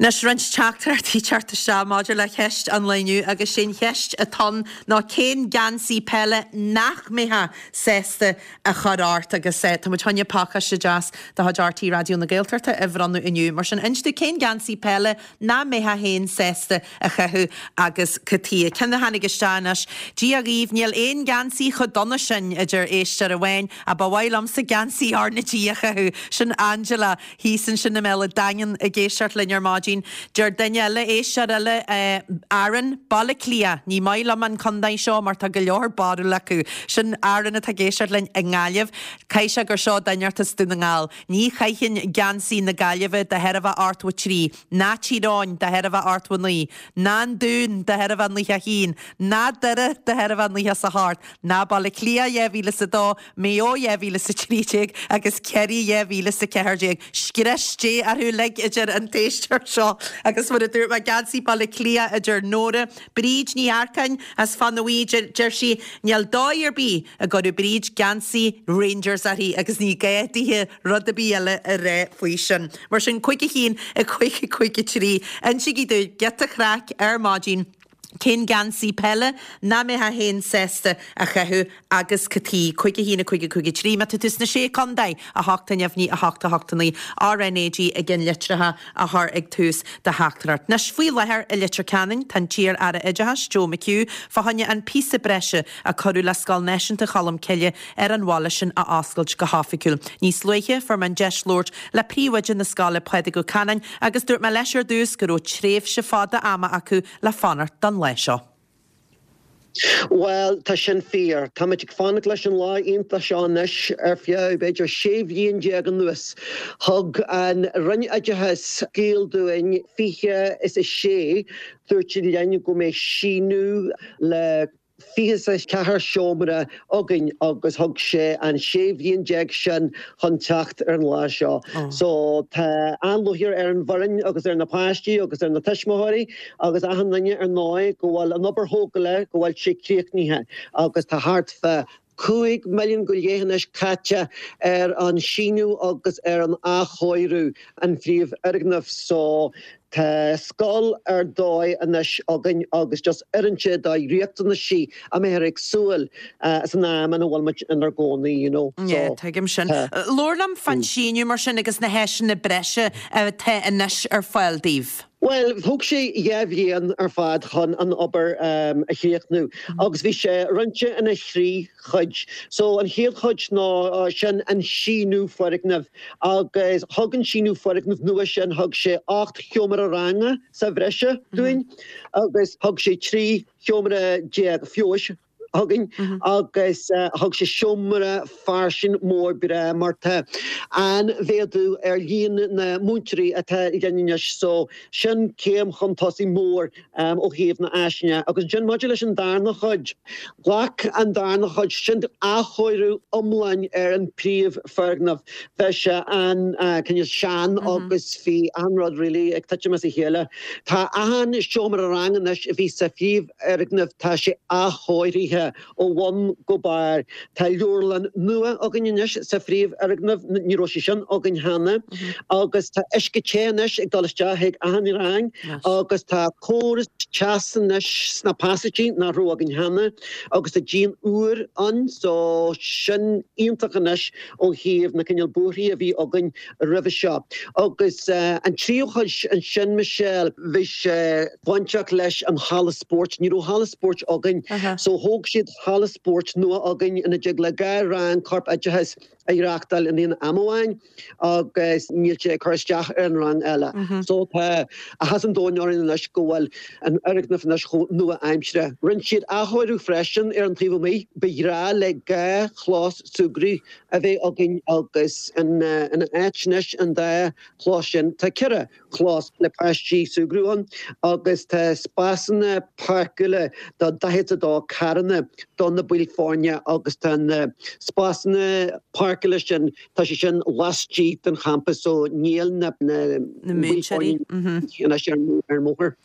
Anois roinnt teachtaireachtaí ag teacht isteach maidir le ceist an lae inniu agus sé'n cheist atá ann ná cén geansaí peile nach mbeifeá sásta a chur ort agus tá muid chun pacáiste deas de chuid R T É Raidió na Gaeltachta a bhronnadh inniu. Mar sin inis dúinn cén geansaí peile nach mbeifeá féin sásta a chaitheamh agus cad chuige. Ceann a tháinig isteach anois, Dia dhaoibh, níl aon geansaí chomh dona sin a deir éisteoir amháin ach ba mhaith liomsa geansaí R na G a chaitheamh. Sin Angela thíos ansin i mBéal an Daingin ag éisteacht linn ar maidin. Deir duine eile, éisteoir eile, Aaron, Baile Átha Cliath, ní maith liom an contae seo mar tá go leor barúil acu. Sin Aaron atá ag éisteacht linn i nGaillimh. Caithfidh sé gur seo duine as Dún na nGall. Ní chaithfinn geansaí na Gaillimhe de thairbhe ochtó a trí, ná Tír Eoghain de thairbhe ochtó a naoi, ná an Dún de thairbhe nócha a haon, ná Doire de thairbhe nócha is a hocht, ná Baile Átha Cliath dhá mhíle is a dó, Maigh Eo dhá mhíle is a trí déag agus Ciarraí dhá mhíle is a ceathair déag. Scrios Dé orthu uilig a deir an t-éisteoir seo agus mar a dúirt mé geansaí Baile Átha Cliath a deir Nóra, Bríd Ní Earcáin as Fanaí deir sí níl dóigh ar bith a gcuirfeadh Bríd geansaí Rangers uirthi agus ní gá dithe rud ar bith eile a rá faoi sin. Mar sin cúig a haon a cúig a cúig a trí Insígí dúinn giota craic ar maidin cén geansaí peile nach mbeifeá féin sásta a chaitheamh agus cad chuige cúig a haon a cúig a cúig a trí Má tá tú sna sé contae a hocht a neamhní a hocht a hocht a naoi R N A G i litreacha a chur ag tús do theachtaireacht. Anois faoi láthair i Leitir Ceanainn tá an t-iar-aire oideachais Joe McHugh fá choinne an píosa breise a cuireadh le Scoil Náisiúnta Cholm Cille ar an bhaile sin a oscailt go hoifigiúil. Níos luaithe fuair mé an deis labhairt le príomhoide na scoile Pádraig Ó Canáin agus dúirt mé leis ar dtús go raibh tréimhse fada ama acu le fanacht don lá seo. Well, tá sin fíor. Táimid ag fanacht leis an lá iontach seo anois ar feadh b'fhéidir sé bhliain déag anuas. Thug an Roinn Oideachais scéal dúinn fiche is a sé dúirt siad linn go mbeidh síneadh le fiche a ceathair seomra againn agus thug sé an sé bhliain déag sin chun teacht ar an lá seo. So tá an-lúcháir ar an bhfoireann agus ar na páistí agus ar na tuismitheoirí agus achan duine ar ndóigh go bhfuil an obair thógála go bhfuil sé críochnaithe agus tá thart fá cúig milliún go leith anois caite ar an síneadh agus ar an athchóiriú an phríomhfhoirgneamh so Tá scoil ar dóigh anois againn agus just oireann sé do riachtanaisí a mbeifear ag súil san am ina bhfuil muid inár gcónaí, you know. Yeah, tuigim sin. Labhair liom fán síneadh mar sin agus na háiseanna breise atá anois ar fáil daoibh. Bhuel, thóg sé dhá bhliain ar fad chun an obair a chríochnú agus bhí sé roinnte ina thrí chuid. So an chéad chuid ná sin an síneadh foirgneamh agus thug an síneadh foirgneamh nua sin thug sé ocht sheomra ranga sa bhreise dúinn agus thug sé trí sheomra déag feabhais chugainn agus thug sé seomra fairsing mór breá mar tá an-mhéadú ar líon na múinteoirí atá linn anois so sin céim chun tosaigh mór ó thaobh na háiseanna. Agus ansin maidir leis an darna chuid, ghlac an darna chuid sin athchóiriú iomlán ar an príomhfhoirgneamh. Bhí sé an cineál sean agus bhí achan rud really ag titim as a chéile. Tá achan seomra ranga anois a bhí sa phríomhfhoirgneamh tá sé athchóirithe ó bhun go barr. Tá leabharlann nua againn anois sa phríomhfhoirgneamh, ní raibh sé sin againn cheana, agus tá uisce te anois ag dul isteach chuig achan rang agus tá córas teas anois sna pasáistí nach raibh againn cheana agus tá díon úr ann so sin iontach anois ó thaobh na cineál buarthaí a bhí againn roimhe seo. Agus an tríú chuid ansin Michelle, bhí sé bainteach leis an halla spóirt, ní raibh halla spóirt againn so thóg siad halla spóirt nua againn ina dtig le dhá rang corp oideachais a reáchtáil in aon am amháin agus níl sé ag cur isteach ar an rang eile. So tá áthas an domhain orainn anois go bhfuil an fhoirgneamh anois chomh nua-aimseartha. Rinne siad athchóiriú freisin ar an taobh amuigh. Ba ghnách le dhá chlós súgraidh a bheith againn agus ina áit anois an dá chlós sin tá ceithre chlós le páistí súgradh ann agus tá spásanna páirceála do daichead a dó carranna do na baill foirne agus tá na spásanna páirceála sin tá sé sin laistigh den champas so níl na na baill foirne anois ar an mbóthar.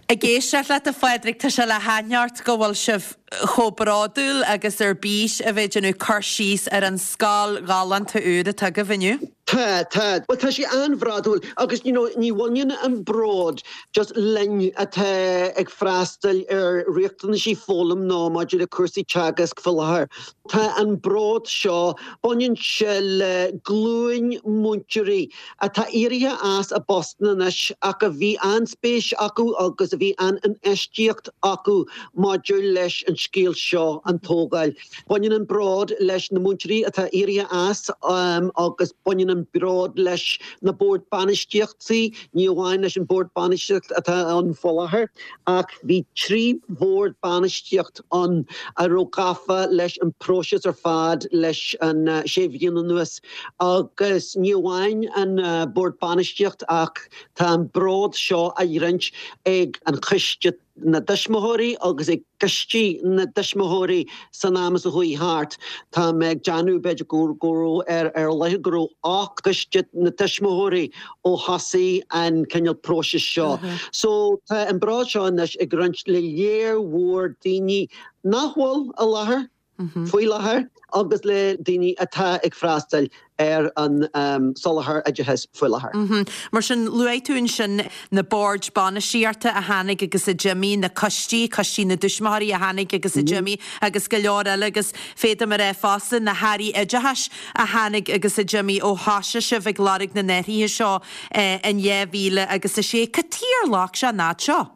Ag éisteacht leat a Phádraig tá sé le haithint ort go bhfuil sibh chomh bródúil agus ar bís a bheith ag déanamh cur síos ar an scoil ghalánta úr atá agaibh inniu. Tá, tá. Well tá sé an-bhródúil agus you know, ní bhaineann an bród just linn atá ag freastal ar riachtanaisí foghlaim nó maidir le cúrsaí teagasc faoi láthair. Tá an bród seo baineann sé le glúin múinteoirí atá éirithe as a bpostanna anois ach a bhí an-spéis acu agus a bhí an-infheistíocht acu maidir leis an scéal seo an tógáil. Baineann an bród leis na múinteoirí atá éirithe as um, agus baineann an bród leis na boird bainistíochta, ní amháin leis an bord bainistíocht atá ann faoi láthair, ach bhí trí bhord bainistíocht ann a raibh gafa leis an próiseas ar fad leis an uh, sé bhliain anuas. Agus ní amháin an uh, bord bainistíocht ach tá an bród seo á roinnt ag an choiste na dtuismitheoirí agus ag coistí na dtuismitheoirí san am is a chuaigh thart. Tá mé ag déanamh b'fhéidir go go raibh ar ar leith go raibh ocht gcoiste na dtuismitheoirí ó thosaigh an cineál próiseas seo. So tá an bród seo anois ag roinnt le léir mhór daoine nach bhfuil i láthair faoi láthair agus le daoine atá ag freastal ar an um, soláthar oideachais faoi láthair. Mm -hmm. Mar sin luaigh tú ansin na boird bainistíochta a tháinig agus a d'imigh na coistí, coistí na dtuismitheoirí a tháinig agus a d'imigh agus go leor eile agus féadaim a rá fosta na hairí oideachais a tháinig agus a d'imigh ó thosaigh sibh ag lorg na n-athruithe seo eh, in dhá mhíle agus a sé. Cad chuige ar loic sé an fhad seo?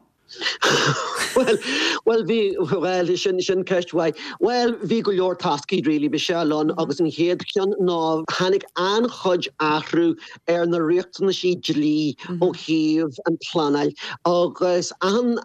well, well bhí well sin sin ceist mhaith. Well bhí go leor toscaí really Michelle ann agus an chéad cheann ná tháinig an-chuid athrú ar na riachtanaisí dlí ó thaobh an pleanáil agus an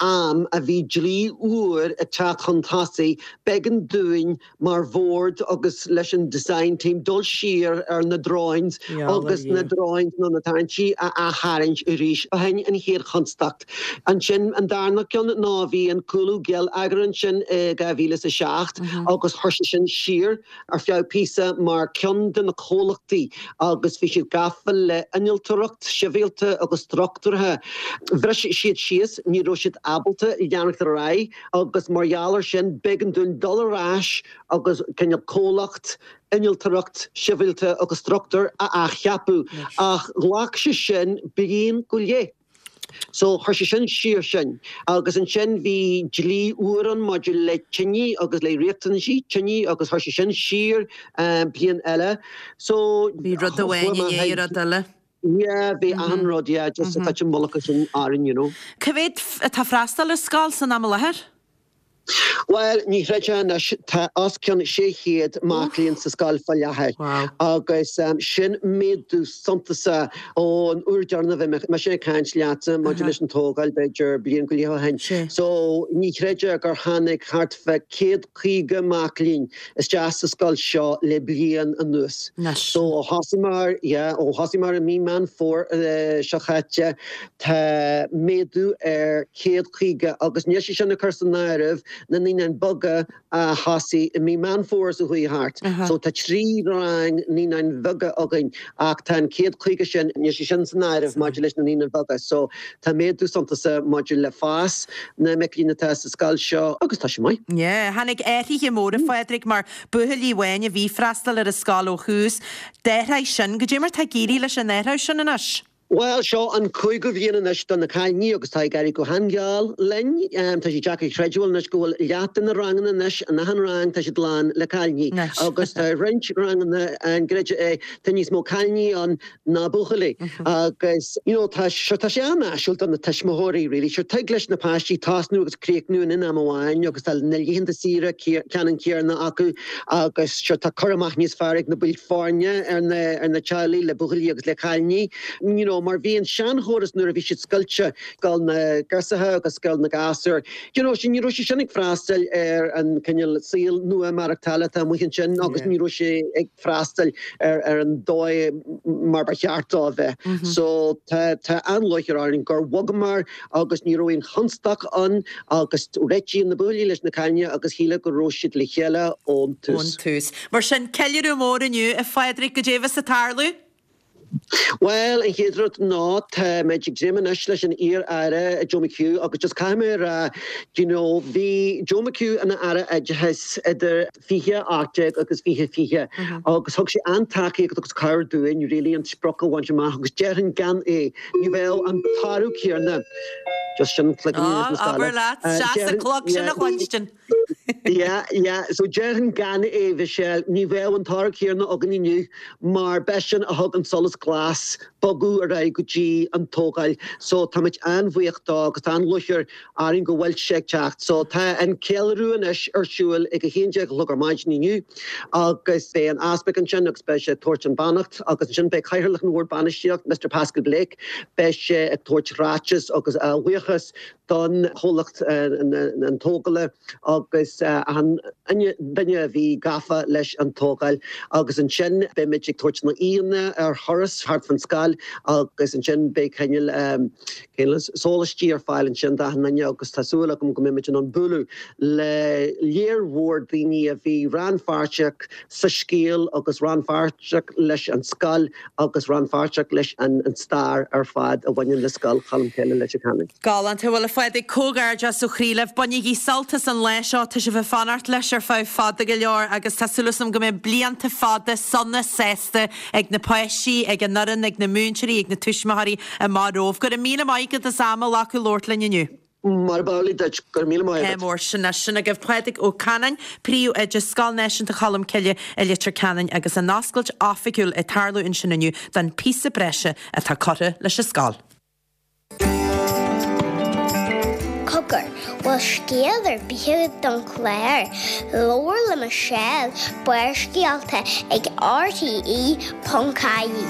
am a bhí dlí úr ag teacht chun tosaigh b'éigean dúinn mar bhord agus leis an design team dul siar ar na drawings agus na drawings nó na tarraingtí a aththarraingt arís. B'shin an chéad chonstaic. Ansin an darna ceann ná bhí an cúlú geilleagair ansin i dhá mhíle is a seacht agus chuir sé sin siar ar feadh píosa mar ceann de na comhlachtaí agus bhí siad gafa le innealtóireacht sibhialta agus struchtúrtha. Bhris siad síos ní raibh siad ábalta leanacht ar aghaidh agus mar gheall air sin b'éigean dúinn dul ar ais agus cineál comhlacht innealtóireacht sibhialta agus struchtúr a athcheapadh ach ghlac sé sin bliain go leith. So chuir sé sin siar sinn agus ansin bhí dlí úr ann maidir le tine agus le riachtanaisí tine agus chuir sé sin siar bliain eile. So Bhí rud amháin i ndiaidh rud eile. Yeah, bhí achan rud, yeah, just ag titim mullach sin orainn, you know. Cá mhéad atá ag freastal ar scoil san am i láthair? Bhuel, ní chreidfeá anois, tá os cionn sé chéad mac léinn sa scoil fá láthair agus sin méadú suntasach ón uair deireanach a bhí mise ag caint leatsa maidir leis an tógáil, b'fhéidir bliain go leith ó shin. So, ní chreidfeá gur tháinig thart fá céad caoga mac léinn isteach sa scoil seo le bliain anuas. So, ó thosaíomar, yeah, ó thosaíomar i mí Meán Fómhair seo chaite, tá méadú ar céad caoga agus níl sé sin ag cur san áireamh na naíonáin bheaga a thosaigh i mí Meán Fómhair seo chuaigh thart. So tá trí rang naíonáin bheaga againn ach tá an céad caoga sin, níl sé sin san áireamh maidir leis na naíonáin bheaga. So tá méadú suntasach maidir le fás na mic léinn atá sa scoil seo agus tá sé maith. Yeah, tháinig athruithe móra, a Phádraig, mar buachaillí amháin a bhí ag freastal ar an scoil ó thús. D'athraigh sin, goidé mar tá ag éirí leis an athrú sin anois? Bhuel, seo an cúigiú bhliain anois do na cailíní agus tá ag éirí go han-gheal linn. Tá sé deacair a chreidiúint anois go bhfuil leath de na ranganna anois, in achan rang, tá siad lán le cailíní. Agus tá roinnt ranganna, an gcreidfeá é, tá níos mó cailíní ann ná buachaillí. Agus, you know, tá, sure, tá sé an-áisiúil do na tuismitheoirí, really. Sure, tig leis na páistí tosnú agus críochnú in am amháin agus tá na laethanta saoire ceannann céanna acu agus, sure, tá cur amach níos fearr ag na baill foirne ar na, ar na teaghlaigh le buachaillí agus le cailíní. You know, mar bhí an seanchóras nuair a bhí siad scoilte, Scoil na nGirseacha agus Scoil na nGasúr, you know, ní raibh sé sin ag freastal ar an cineál saol nua maireachtála atá amuigh ansin agus ní raibh sé ag freastal ar ar an dóigh mar ba cheart dó a bheith. So tá tá an-lúcháir orainn gur bhogamar agus ní raibh aon chonstaic ann agus réitíodh na buachaillí leis na cailíní agus shílfeá go raibh siad le chéile ón tús. Ón tús. Mar sin, ceiliúradh mór inniu, a Phádraig, goidé a bheas ag tarlú? Bhuel, an chéad rud ná táimid ag dréim anois leis an iar-aire Joe McHugh agus just caithfidh mé a rá, do you know, bhí Joe McHugh ina Aire Oideachais idir fiche a hocht déag agus fiche fiche agus thug sé an-tacaíocht agus cabhair dúinn really an sprioc a bhaint amach agus déarfainn gan é ní bheadh an toradh céanna just sin cloigeann na scoile. Abair leat, seas an clog sin a chluinstin. Yeah, yeah, so déarfainn gan é, Michelle, ní bheadh an toradh céanna againn inniu mar b'eisean a thug an solas glas bogadh ar aghaidh go dtí an tógáil. So táimid an-bhuíoch dó agus tá an-lúcháir orainn go bhfuil sé ag teacht. So tá an ceiliúradh anois ar siúl ag a haon déag a chlog ar maidin inniu agus beidh an Easpag ansin agus beidh sé ag tabhairt an beannacht agus ansin beidh Cathaoirleach an Bhoird Bainistíocht, Mister Paschal Blake, beidh sé ag tabhairt ráiteas agus a bhuíochas don chomhlacht an tógála agus an duine a bhí gafa leis an tógáil agus ansin beimid ag tabhairt na aíonna ar thuras thart fan scoil agus ansin beidh cineál cineál sólaistí ar fáil ansin d'achan duine agus tá súil agam go mbeimid in ann bualadh le léar mhór daoine a bhí rannpháirteach sa scéal agus rannpháirteach leis an scoil agus rannpháirteach leis an stair ar fad a bhaineann le Scoil Cholmcille Leitir Ceanainn. Galánta. Bhuel, a Phádraig, comhghairdeas ó chroí libh. Bainigí sult as an lá seo, tá sibh ag fanacht leis ar feadh fada go leor agus tá súil agam go mbeidh blianta fada sona sásta ag na páistí, ag an fhoireann, ag na múinteoirí, ag na tuismitheoirí amach romhaibh. Go raibh míle maith agat as am a ghlacadh labhairt linn inniu. Mar ba amhlaidh duit. Go raibh míle maith agat. Mór sin é sin agaibh Pádraig Ó Canainn, Príomhoide Scoil Náisiúnta Cholm Cille i Leitir Ceanainn agus an oscailt oifigiúil ag tarlú ansin inniu don píosa breise atá curtha leis an scoil. Cogar, bhfuil scéal ar bith agat don chlár? Labhair le Michelle, Barrscéalta ag RTE ponc ie.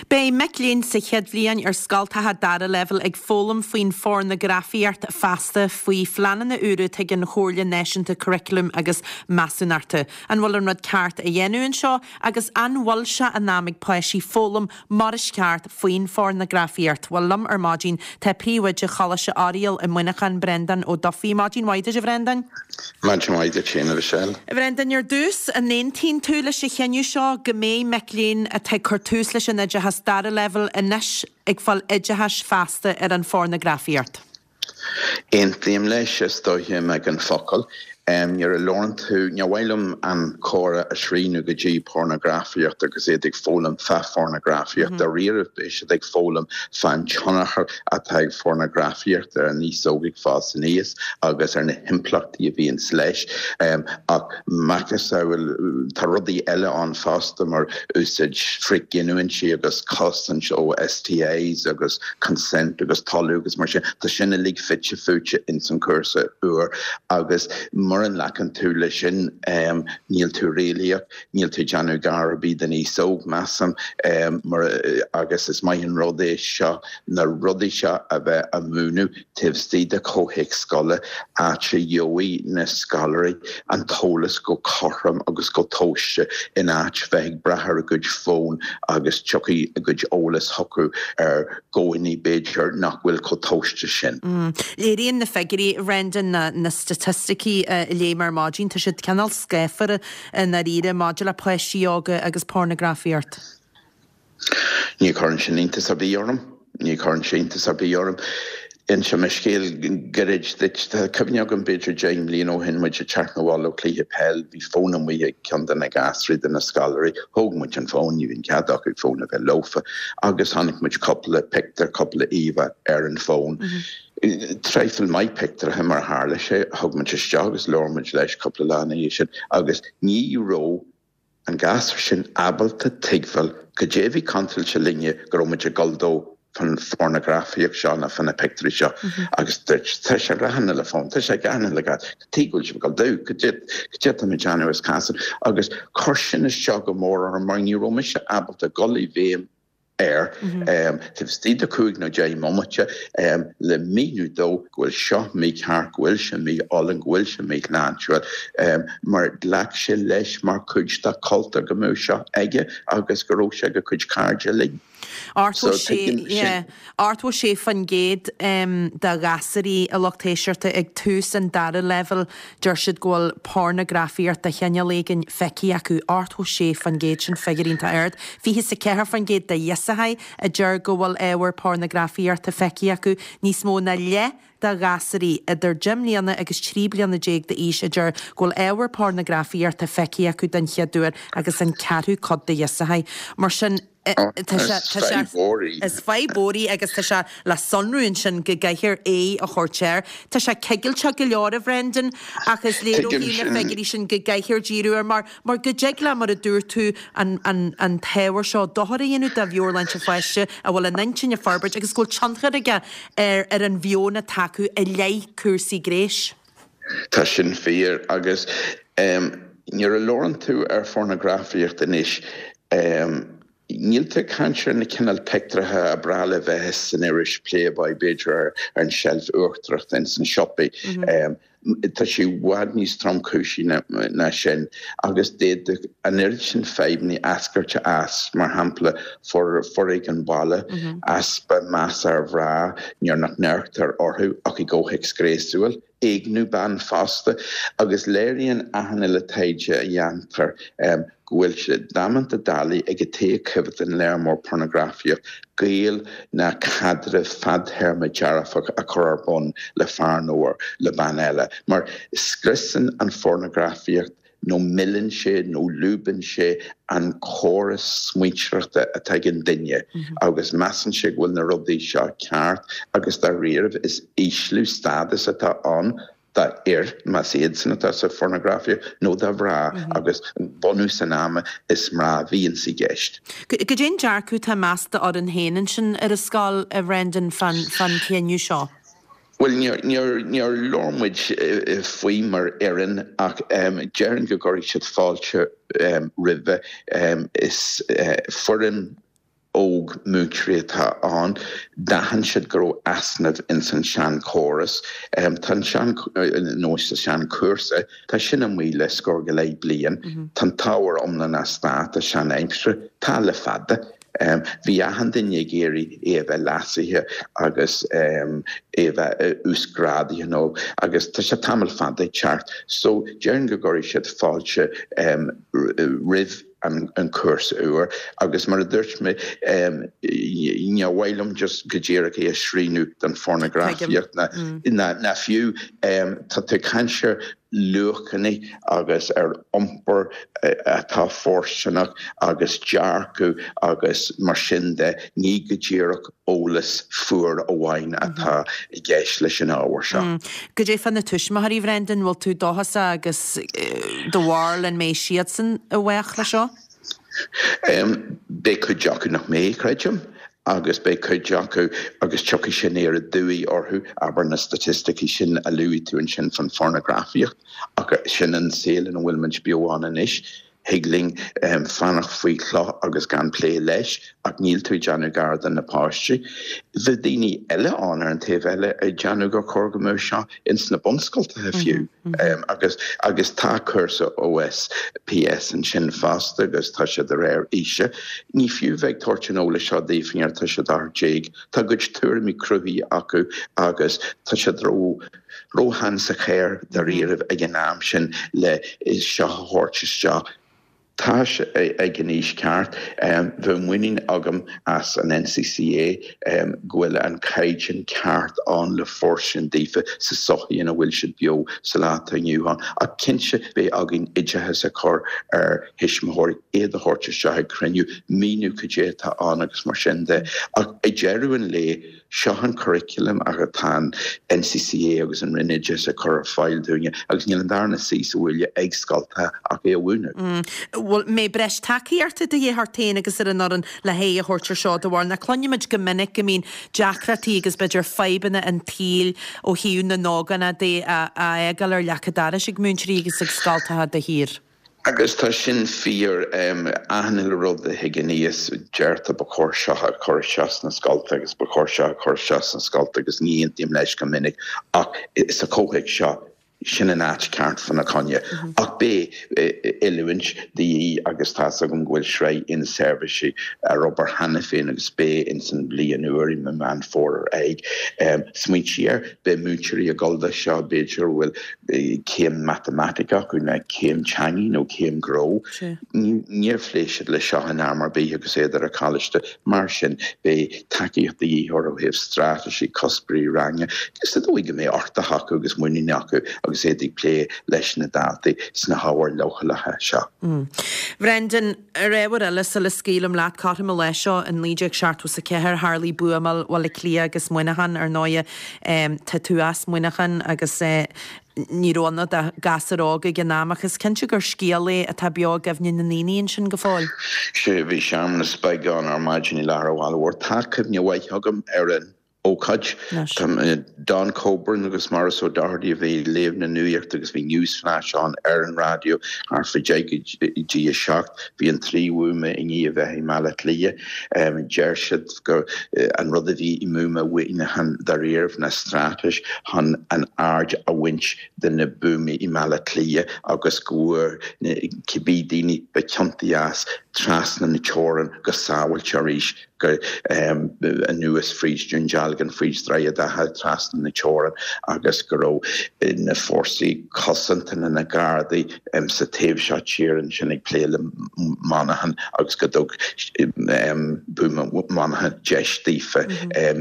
Beidh mic léinn sa chéad bhliain ar scoltacha dara leibhéal ag foghlaim faoin phornagrafaíocht feasta faoi phleananna úra atá ag an Chomhairle Náisiúnta Curaclaim agus Measúnachta. An bhfuil an rud ceart á dhéanamh anseo agus an bhfuil sé in am ag páistí foghlaim mar is ceart faoin phornagrafaíocht? Bhuel, liom ar maidin tá Príomhoide Choláiste Oiriall i Muineachán, Breandán Ó Dufaigh. Maidin mhaith duit, a Bhreandáin. Maidin mhaith duit féin, a Mhichelle. A Bhreandáin, ar dtús, an aontaíonn tú leis an chinneadh seo go mbeidh mic léinn atá ag cur tús leis an oideachas oideachas dara leibhéal anois ag fáil oideachais feasta ar an phornagrafaíocht. Aontaím leis, is dóiche ag an focal. Nuair a labhrann tú, ní mhaith liom an comhrá a shrianadh go dtí pornagrafaíocht agus iad ag foghlaim fá phornagrafaíocht. Dáiríre beidh siad ag foghlaim fán tionchar atá ag phornagrafaíocht ar an aos óg ag fás aníos agus ar na himpleachtaí a bhíonns leis. Ach macasamhail, tá rudaí eile ann fosta mar úsáid frithghiniúintí agus cosaint ó S T Is agus consent agus toiliú agus mar sin. Tá sin uilig fite fuaite ins an cúrsa úr agus mura nglacann tú leis sin um, níl tú réalaíoch, níl tú déanamh gar ar bith don aos óg, measaim um, mar, agus is maith an rud é seo na rudaí seo a bheith á múineadh taobh istigh de chomhthéacs scoile, áit a gheobhaidh na scoláirí an t-eolas go cothrom agus go tomhaiste in áit bheith ag brath ar a gcuid fón agus tiocfaidh a gcuid eolas chucu ar dhóigheanna b'fhéidir nach bhfuil chomh tomhaiste sin. Mm. Léiríonn na figiúirí, Brendan, na, na staitisticí uh, léigh ar maidin, tá siad cineál scáfar i ndáiríre maidir le páistí óga agus pornagrafaíocht. Ní chuireann sin iontas ar bith orm, ní chuireann sé iontas ar bith orm. Inseoidh mé scéal gairid duit. Tá cuimhne agam b'fhéidir deich mbliana ó shin muid ag teacht abhaile ó chluiche peil, bhí fón amuigh ag ceann de na gasúir de na scoláirí, thóg muid an fón, ní bhíonn cead acu fón a bheith leofa, agus chonaic muid cúpla pictiúr, cúpla íomhá ar an fón. Mm -hmm. Traidhfil maith pictiúrtha mar tharla sé, thug muid isteach agus labhair muid leis cúpla lá ina dhiaidh sin agus ní raibh an gasúr sin ábalta tuigbheáil goidé a bhí contráilte linne go raibh muid ag gol dó fan phornagrafaíocht seo na fan na pictiúirí seo agus tá sé rehanna le fón, Tá sé ganna le gad tígúil se go dú go dé mé Janu is cas agus chuir sin isteach go mór orm mar ní raibh mise ábalta gul i bhfeidhm air taobh istigh de cúig nó deich mbomaite le míniú dó go bhfuil seo mícheart, go bhfuil sé mí-álainn, go bhfuil sé míshláintiúil mar ghlac sé leis mar chuid dá chultúr go mbeadh seo aige agus go raibh sé ag a chuid cairde linn. Ochtó sé faoin gcéad de ghasúirí, a lucht éisteachta, ag tús an dara leibhéal, deir siad go bhfuil pornagrafaíocht de chineál éigin feicthe acu. Ochtó sé faoin gcéad, sin figiúr iontach ard. Fiche is a ceathair faoin gcéad de ghirseachaí a deir go bhfuil ábhar pornagrafaíochta feicthe acu. Níos mó ná leath de ghasúirí idir deich mbliana agus trí bliana déag d'aois a deir go bhfuil ábhar pornagrafaíochta feicthe acu den chéad uair agus an ceathrú cuid de ghirseachaí. Mar sin is fadhb mhór í agus tá sé le sonrú ansin go gcaithfear é a chur air. Tá sé cigilteach go leor, a Bhrendan, ach is léir ó na figiúirí sin go gcaithfear díriú air mar mar go dtig le, mar a dúirt tú, an, an, an t-ábhar seo dochar a dhéanamh do mheabhairshláinte pháiste a bhfuil an intinn ag forbairt agus go bhfuil tionchar aige ar ar an mheon atá acu i leith cúrsaí gnéis. Tá sin fíor agus um, nuair a labhrann tú ar phornagrafaíocht anois um, Níl tú ag caint ar na cineál pictiúrtha ab fhearr le bheith san iris Playboy b'fhéidir ar an tseilf uachtarach in san siopa. Mm -hmm. um, Tá sé i bhfad níos tromchúisí ná sin agus d'fhéadfadh an oiread sin fadhbanna eascairt as, mar shampla foréigean baile, mm -hmm. easpa meas ar mhná nuair nach n-amharctar orthu ach i gcomhthéacs gnéasúil, éigniú ban fosta agus léiríonn achan uile taighde a dhéantar um, go bhfuil sé damanta doiligh ag an té a choimhéadann léar mór pornagrafaíocht gaol ná caidreamh fadtéarma dearfach a chur ar bun le fear nó le bean eile, mar scriosann an phornagrafaíocht nó milleann sé nó lúbann sé an córas smaointeoireachta atá ag an duine mm -hmm. agus measann sé go bhfuil na rudaí seo ceart agus dáiríre is ísliú stádas atá ann d'fhir más iad san atá sa phornagrafaíocht nó do mhná mm -hmm. agus bunús an ama is mná a bhíonn i gceist. Goidé an dearcadh atá meas d'fhoireann féin ansin ar an scoil, a Bhrendan, fan fan cinneadh seo? Well níor labhair muid faoi mar fhoireann ach um, déarfainn go gcuirfidh siad fáilte um, roimhe um, is uh, foireann óg múinteoirí atá ann, d'aithin siad go raibh easnamh in san seanchóras um, Tá sean nó sa seanchúrsa, tá sin amuigh le scór go leith bliain, mm -hmm. Tá ábhar iomlán as dáta sean-aimsire tá le fada. Um, bhí achan duine ag iarraidh é a bheith leasaithe agus um, é bheith uasghrádaithe nó agus tá sé tamall fada ceart, so déarfainn go gcuirfidh siad fáilte um, roimh an an cúrsa úr agus mar a dúirt mé níor mhaith liom just go díreach é a shrianadh don phornagrafaíocht ná ná fiú tá tú ag caint ar luachanna agus ar iompar atá fóirsteanach agus dearcadh agus mar sin de, ní go díreach eolas fuar amháin atá i gceist leis an ábhar seo. Goidé fá na tuismitheoirí, Bhrendan, bhfuil tú dóchasach agus do bharúil an mbeidh siadsan i bhfách leis seo? Beidh cuid acu nach mbeidh, creidim, agus beidh cuid acu agus tiocfaidh sé aniar aduaidh orthu, abair na staitisticí sin a luaigh tú ansin fan phornagrafaíocht, ach sin an saol ina bhfuil muid beo ann anois. Thig linn fanacht faoi chloch agus gan plé leis, ach níl tú ag déanamh gar do na páistí. Bheadh daoine eile ann ar an taobh eile ag déanamh gur chóir go mbeadh seo ins na bunscoltacha fiú. Agus agus tá cúrsa OSPS ansin fosta agus tá sé de réir aoise. Ní fiú bheith ag tabhairt an eolais seo daofa nuair atá siad ocht déag. Tá a gcuid tuairimí cruthaithe acu agus tá siad ró róshean sa chaor dáiríribh ag an am sin le seo a thabhairt isteach. Tá sé ag an aois ceart. Bheadh muinín agam as an NCCA go bhfuil an caighdeán ceart ann le fóirstean daofa sa sochaí ina bhfuil siad beo sa lá atá inniu ann. Ach cinnte beidh againn oideachas a chur ar thuismitheoirí, iad a thabhairt isteach ag cruinniú, míniú cad é atá ann agus mar sin de. Ach ag deireadh an lae, Seo an curriculum atá an NCCA agus an Roinn Oideachais ag cur ar fáil dúinne agus níl an darna suí sa bhaile ag scoltacha ach é a mhúineadh. Bhuel, mbeidh breis tacaíochta de dhíth ort féin agus ar an fhoireann le haghaidh a thabhairt ar seo do bharr? Nó cluinimid go minic go mbíonn deacrachtaí agus b'fhéidir fadhbanna an tsaoil ó thaobh na n-ógánach de á fhágáil ar leac an dorais ag múinteoirí agus ag scoltacha de shíor. Agus tá sin fíor. Achan uile rud a thig aníos, deirtear ba chóir seo a chur isteach sna scolta agus ba chóir seo a chur isteach sna scolta agus ní aontaím leis go minic ach sa chomhthéacs seo, sin an áit ceart fána choinne. Ach beidh oiliúint de dhíth agus tá's agam go bhfuil sraith inseirbhísí ar obair cheana féin agus beidh ins an bhliain úr i Meán Fómhair ar aghaidh. Smaointigh air, beidh múinteoirí ag dul do seo b'fhéidir a bhfuil céim matamaitice acu nó céim teangaidh nó céim gnó. Níor phléigh siad le seo in am ar bith agus iad ar an choláiste. Mar sin, beidh tacaíocht de dhíth orthu ó thaobh straitéisí, cuspóirí ranga, sa dóigh go mbeidh uchtach acu agus muinín acu agus iad ag plé leis na daltaí sna hábhair leochaileacha seo. Bhrendan, ar ábhar eile, sula scaoilim leat, cothrom an lae seo in naoi déag seachtó is a ceathair, tharlaigh buamáil Bhaile Átha Cliath agus Muineachán, ar ndóighe. Tá tú as Muineachán agus ní raibh ann ach gasúr óg ag an am ach is cinnte gur scéal é atá beo i gcuimhne na ndaoine ansin go fóill. Sea, bhí searmanas beag ann ar maidin i lár an bhaile mhóir. Tá cuimhne mhaith agam ar an ócáid. Don Coburn agus Maurice O'Doherty a bhí ag léamh na nuachta agus bhí Newsflash ann ar an raidió thart fá deich go dtí a seacht. Bhí an trí bhuama i ndiaidh a bheith i mBaile Átha Cliath. Deir siad gur an rud a bhí i mbuama Mhuineacháin dáiríribh ná straitéis chun an aird a bhaint de na buamaí i mBaile Átha Cliath agus go bhfuair cibé daoine ba chiontaí as trasna na teorann go sábháilte arís. go anuas fríd Dún Dealgan, fríd Droichead Átha, trasna na teorann agus go raibh na fórsaí cosanta na na Gardaí sa taobh seo tíre ansin ag plé le Monaghan agus go dtug buama Mhuineacháin deis daofa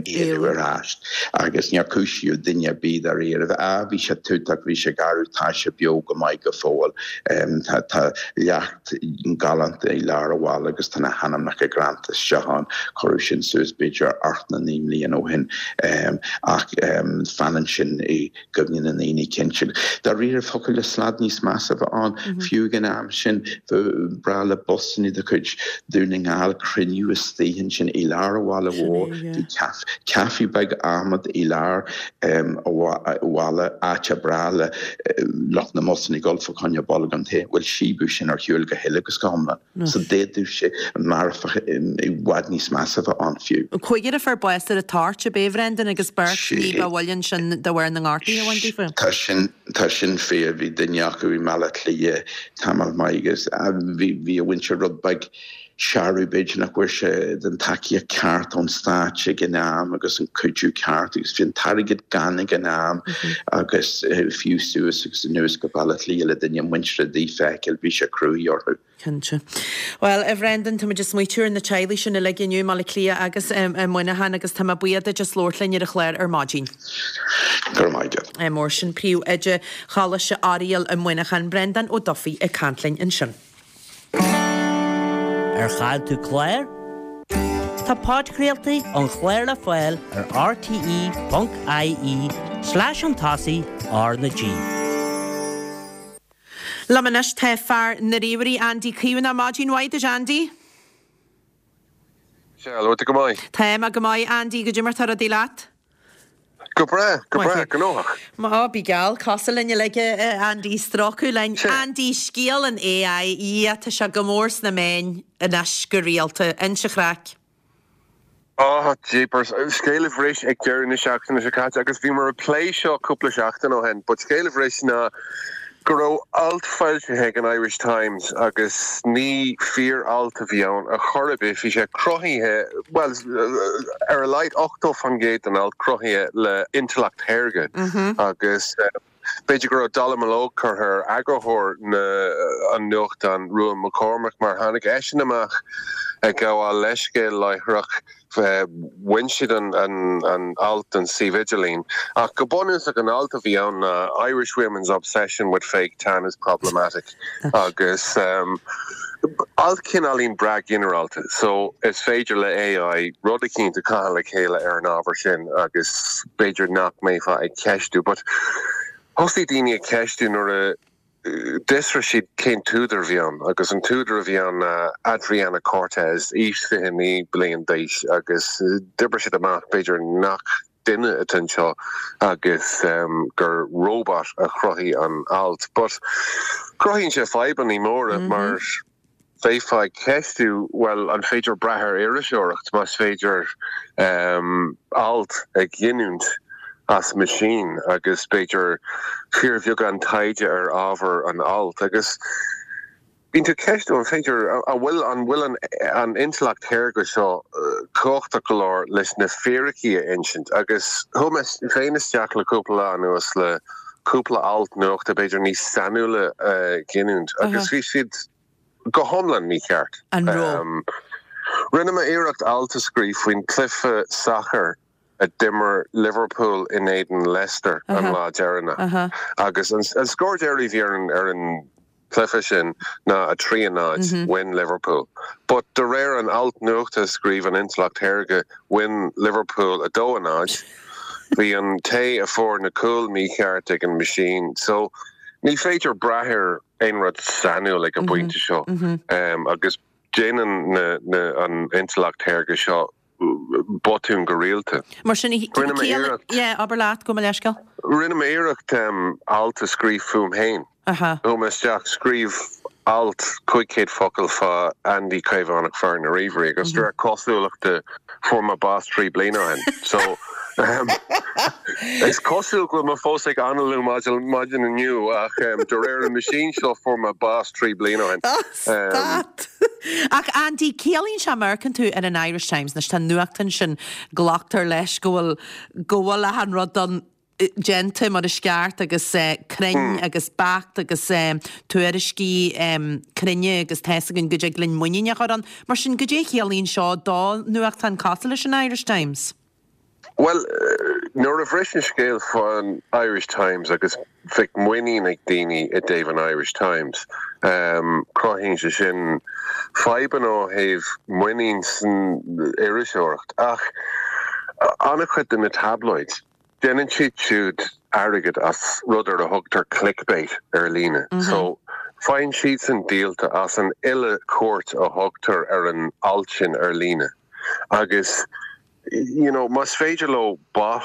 éalú ar ais agus níor cúisíodh duine ar bith dáiríre. Á, bhí sé tútach, bhí sé garbh, tá sé beo go maith go fóill. Tá leacht. galánta i lár an bhaile agus tá na hainmneacha greanta isteach ann. Cuireadh sin suas b'fhéidir ocht nó naoi mbliana ó shin ach fanann sin i gcuimhne na ndaoine cinnte. Dáiríre thiocfadh le slad níos measa a bheith ann. Fiú ag an am sin ba bhreá le busanna de chuid Dhún na nGall cruinniú istigh ansin i lár an bhaile mhóir. Bhí caife beag adhmaid i lár an bhaile, áit ar bhreá le lucht na mbusanna dul fá choinne bolgán tae. Bhuel, síobadh sin ar shiúl go huile agus go hiomlán. So d'fhéadfadh sé marfach i bhfad níos measa a bheith ann fiú. Cúigear a fuair bás ar an toirt, ab é, a Bhrendan, agus beirt ní ba mhoille ansin de bharr na ngortuithe a bhain daofa. Tá sin, tá sin fíor. Bhí duine acu i mBaile Átha Cliath tamall maith agus bhí, bhí a mhuintir rud beag searradh b'fhéidir nach bhfuair sé den tacaíocht ceart ón stát ag an am agus an cuidiú ceart agus bhí an t-airgead gann ag an am agus fiú suas agus anuas go Baile Átha Cliath le duine muinteartha a fheiceáil bhí sé cruaidh orthu. Cinnte. Bhuel, a Bhrendan, tá muid ag smaoitiú ar na teaghlaigh sin uilig inniu i mBaile Átha Cliath agus i Muineachán agus tá mé buíoch duit as labhairt linn ar an chlár ar maidin. Go raibh maith agat. Mór sin príomhoide Choláiste Oiriall i Muineachán, Brendan Ó Dufaigh ag caint linn ansin. Ar chaill tú clár? Tá podchraoltaí an chláir le fáil ar rte.ie slash an tosaigh R na G. Liom anois tá fear na ríomhairí Andy Caomhánach maidin mhaith duit Andy. Sea, bhfuil tú go maith. Tá mé go maith Andy goidé mar tá rudaí leat. Go breá, go breá, gnóthach. Má bí geall cosúil linn uilig Andy strócadh linn. Andy scéal an AI, ia tá sé go mór sna meáin anois go rialta, inis an chraic. Oh, jeepers. Scéal a bhris ag deireadh na seachtaine seo caite agus bhíomar ag plé seo cúpla seachtain ó shin, but scéal a bhris ná go raibh alt foilsithe ag an Irish Times agus ní fíor-alt a bhí ann a chor ar bith, bhí sé cruthaithe, well, ar a laghad ochtó faoin gcéad den alt cruthaithe le intleacht shaorga agus b'fhéidir go raibh dallamullóg curtha ar eagarthóir na an nuachtán Ruadhán McCormack mar tháinig eisean amach ag gabháil leithscéal láithreach bhain siad an, an, an alt den suíomh idirlín. Ach go bunúsach an alt a bhí ann ná Irish women's obsession with fake tan is problematic agus um, alt cineáilín breá ginearálta, so is féidir le AI rud eicínt a chaitheamh le chéile ar an ábhar sin agus b'fhéidir nach mbeifeá ag ceistiú, but thosaigh daoine ag ceistiú nuair a d'fhiosraigh siad cén t-údar a bhí ann agus an t-údar a bhí ann Adriana Cortez, aois fiche naoi bliain d'aois agus d'oibrigh siad amach b'fhéidir nach duine atá anseo agus um, gur robot a chruthaigh an alt. But cruthaíonn sé fadhbanna móra mm -hmm. mar bheifeá ag ceistiú well an féidir brath ar iriseoireacht más féidir um, alt a ghiniúint as machine agus b'fhéidir fíorbheagán taighde ar ábhar an alt agus bíonn tú ceistiú an féidir an bhfuil an bhfuil an, an intleacht shaorga seo uh, cumhachtach go leor leis na fíricí a insint agus chuaigh mé féin isteach le cúpla lá anuas le cúpla alt nuachta b'fhéidir níos sainiúla uh, giniúint agus bhí siad go hiomlán mícheart. An raibh? Um, Rinne mé iarracht alt a scríobh faoin cluiche sacair a d'imir Liverpool in éadan Leicester an lá deireanach. Agus an, an scór deiridh bhí ar an, ar an cluiche sin ná a trí a náid win Liverpool. But de réir an alt nuachta a scríobh an intleacht shaorga win Liverpool a dó a náid, bhí an té a fuair na cúil mícheart ag an machine. So ní féidir brath ar aon rud sainiúil ag an bpointe seo. Um, agus déanann na, na, an intleacht shaorga seo botún go rialta. Mar sin Rinne mé iarracht. Yeah, abair leat gabh mo leithscéal. Rinne mé iarracht um, alt a scríobh fúm féin. Aha. Chuaigh mé isteach scríobh alt cúig chéad focal fá Andy Caomhánach fear na ríomhairí agus de réir cosúlachta fuair mé bás trí bliana ó shin. So um, is cosúil go bhfuil mé fós ag análú maidin inniu ach um, de réir an machine seo fuair mé bás trí bliana ó shin. Oh, stad. Ach Andy, ciallaíonn sé má amharcann tú ar an Irish Times anois tá nuachtán sin glactar leis go bhfuil go bhfuil achan rud don déanta mar is ceart agus uh, cruinn agus beacht agus um, tuairiscí um, cruinne agus tá a fhios againn go dtig linn muinín a chur ann. Mar sin goidé ciallaíonn seo do nuachtán cosúil leis an Irish Times. Well, uh, nuair a bhris an scéal fan Irish Times agus bhí muinín ag daoine i dtaobh an Irish Times. Um, cruthaíonn sé sin fadhbanna ó thaobh muinín san iriseoireacht ach an-chuid de na tabloids. Déanann siad siúd airgead as rud ar a thugtar clickbait ar líne. Mm -hmm. So faigheann siad san díolta as an uile cuairt a thugtar ar an alt sin ar líne. Agus you know, más féidir leo bot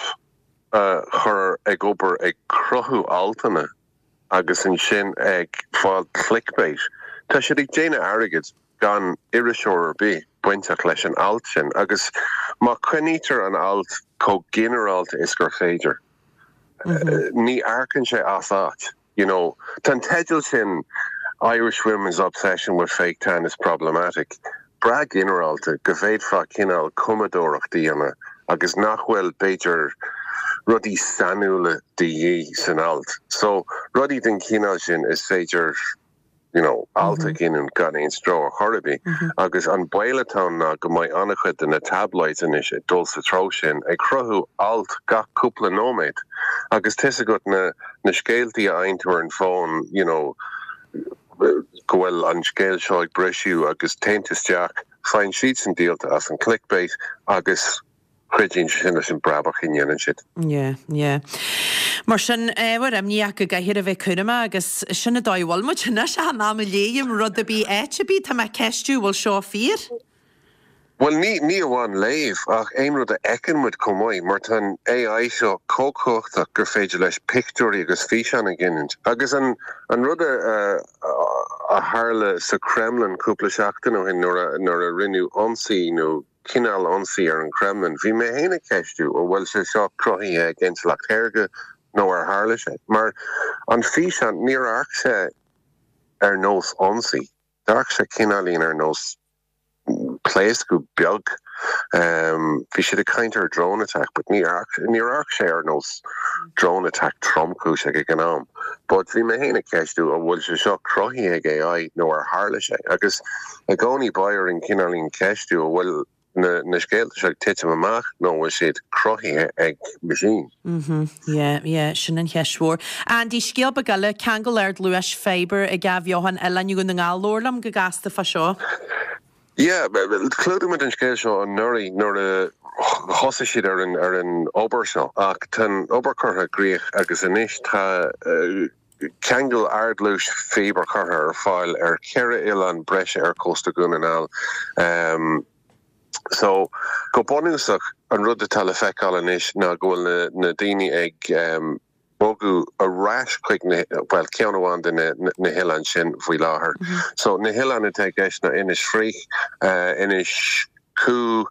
uh, chur ag obair ag cruthú altanna agus ansin ag fáil clickbait. Tá siad ag déanamh airgead gan iriseoir ar bith bainteach leis an alt sin, agus má choinnítear an alt chomh ginearálta is gur féidir. Mm -hmm. Ní amharcann sé as áit. You know, Tá teideal sin Irish women's obsession with fake tan is problematic. breá ginearálta go bhféadfá cineál cumadóireacht a dhéanamh agus nach bhfuil b'fhéidir rudaí sainiúla de dhíth san alt. So rudaí den chineál sin is féidir you know, alt a ghiniúint gan aon stró ar chor ar bith. Agus an baol atá ann ná go mbeidh an-chuid de na tabloids anois ag dul sa treo sin ag cruthú alt gach cúpla nóiméad. Agus tá fhios agat na, na scéaltaí a fhaigheann tú ar an bhfón, you know, go bhfuil an scéal seo ag briseadh agus téann tú isteach, faigheann siadsan díolta as an clickbait agus cuidíonn sé sin leis an brabach a dhéanann siad. Yeah, yeah. Mar sin ábhar imní ach go gcaithfear a bheith cúramach agus sin an dóigh a bhfuil muid anois achan am a léim rud ar bith áit ar bith tá mé ag ceistiú bhfuil seo fíor? Bhuel ní ní amháin léamh ach aon rud a fheiceann muid chomh maith mar tá an AI seo chomh cumhachtach gur féidir leis pictiúirí agus físeáin a ghiniúint. Agus an an rud a a tharla sa Kremlin cúpla seachtain ó shin nuair a nuair a rinneadh ionsaí nó cineál ionsaí ar an Kremlin, bhí mé féin ag ceistiú an bhfuil sé seo cruthaithe ag intleacht shaorga nó ar tharla sé. Mar an físeán níor amharc sé ar nós ionsaí. D'amharc sé cineáilín ar nós pléascadh beag. Um, bhí siad ag caint ar drone attack, but ní níor amharc sé ar nós drone attack tromchúiseach ag an am. But bhí mé féin ag ceistiú an bhfuil sé seo cruthaithe ag AI nó ar tharla sé. Agus i gcónaí beidh orainn cineáilín ceistiú an bhfuil na, na scéalta seo ag titim amach nó bhfuil siad cruthaithe ag machine. Mhm, yeah, yeah, sin an cheist mhór. Andy scéal beag eile ceangal ardluais fibre ag athbheochan Oileán Dhún na nGall labhair liom go gasta fá seo. Yeah, chlúdaigh muid an scéal seo anuraidh nuair a thosaigh siad ar an ar an obair seo ach tá an obair curtha i gcrích agus anois tá uh, ceangal ardluais fibre curtha ar fáil ar ceithre oileán breise ar cósta Dhún na nGall. Um, so go bunúsach an rud atá le feiceáil anois ná go bhfuil na, na daoine ag um, bogadh ar ais chuig na well ceann amháin de na, na, na hoileáin sin faoi láthair. Mm -hmm. So na hoileáin atá i gceist ná Inis Fraoich, uh, Inis Cú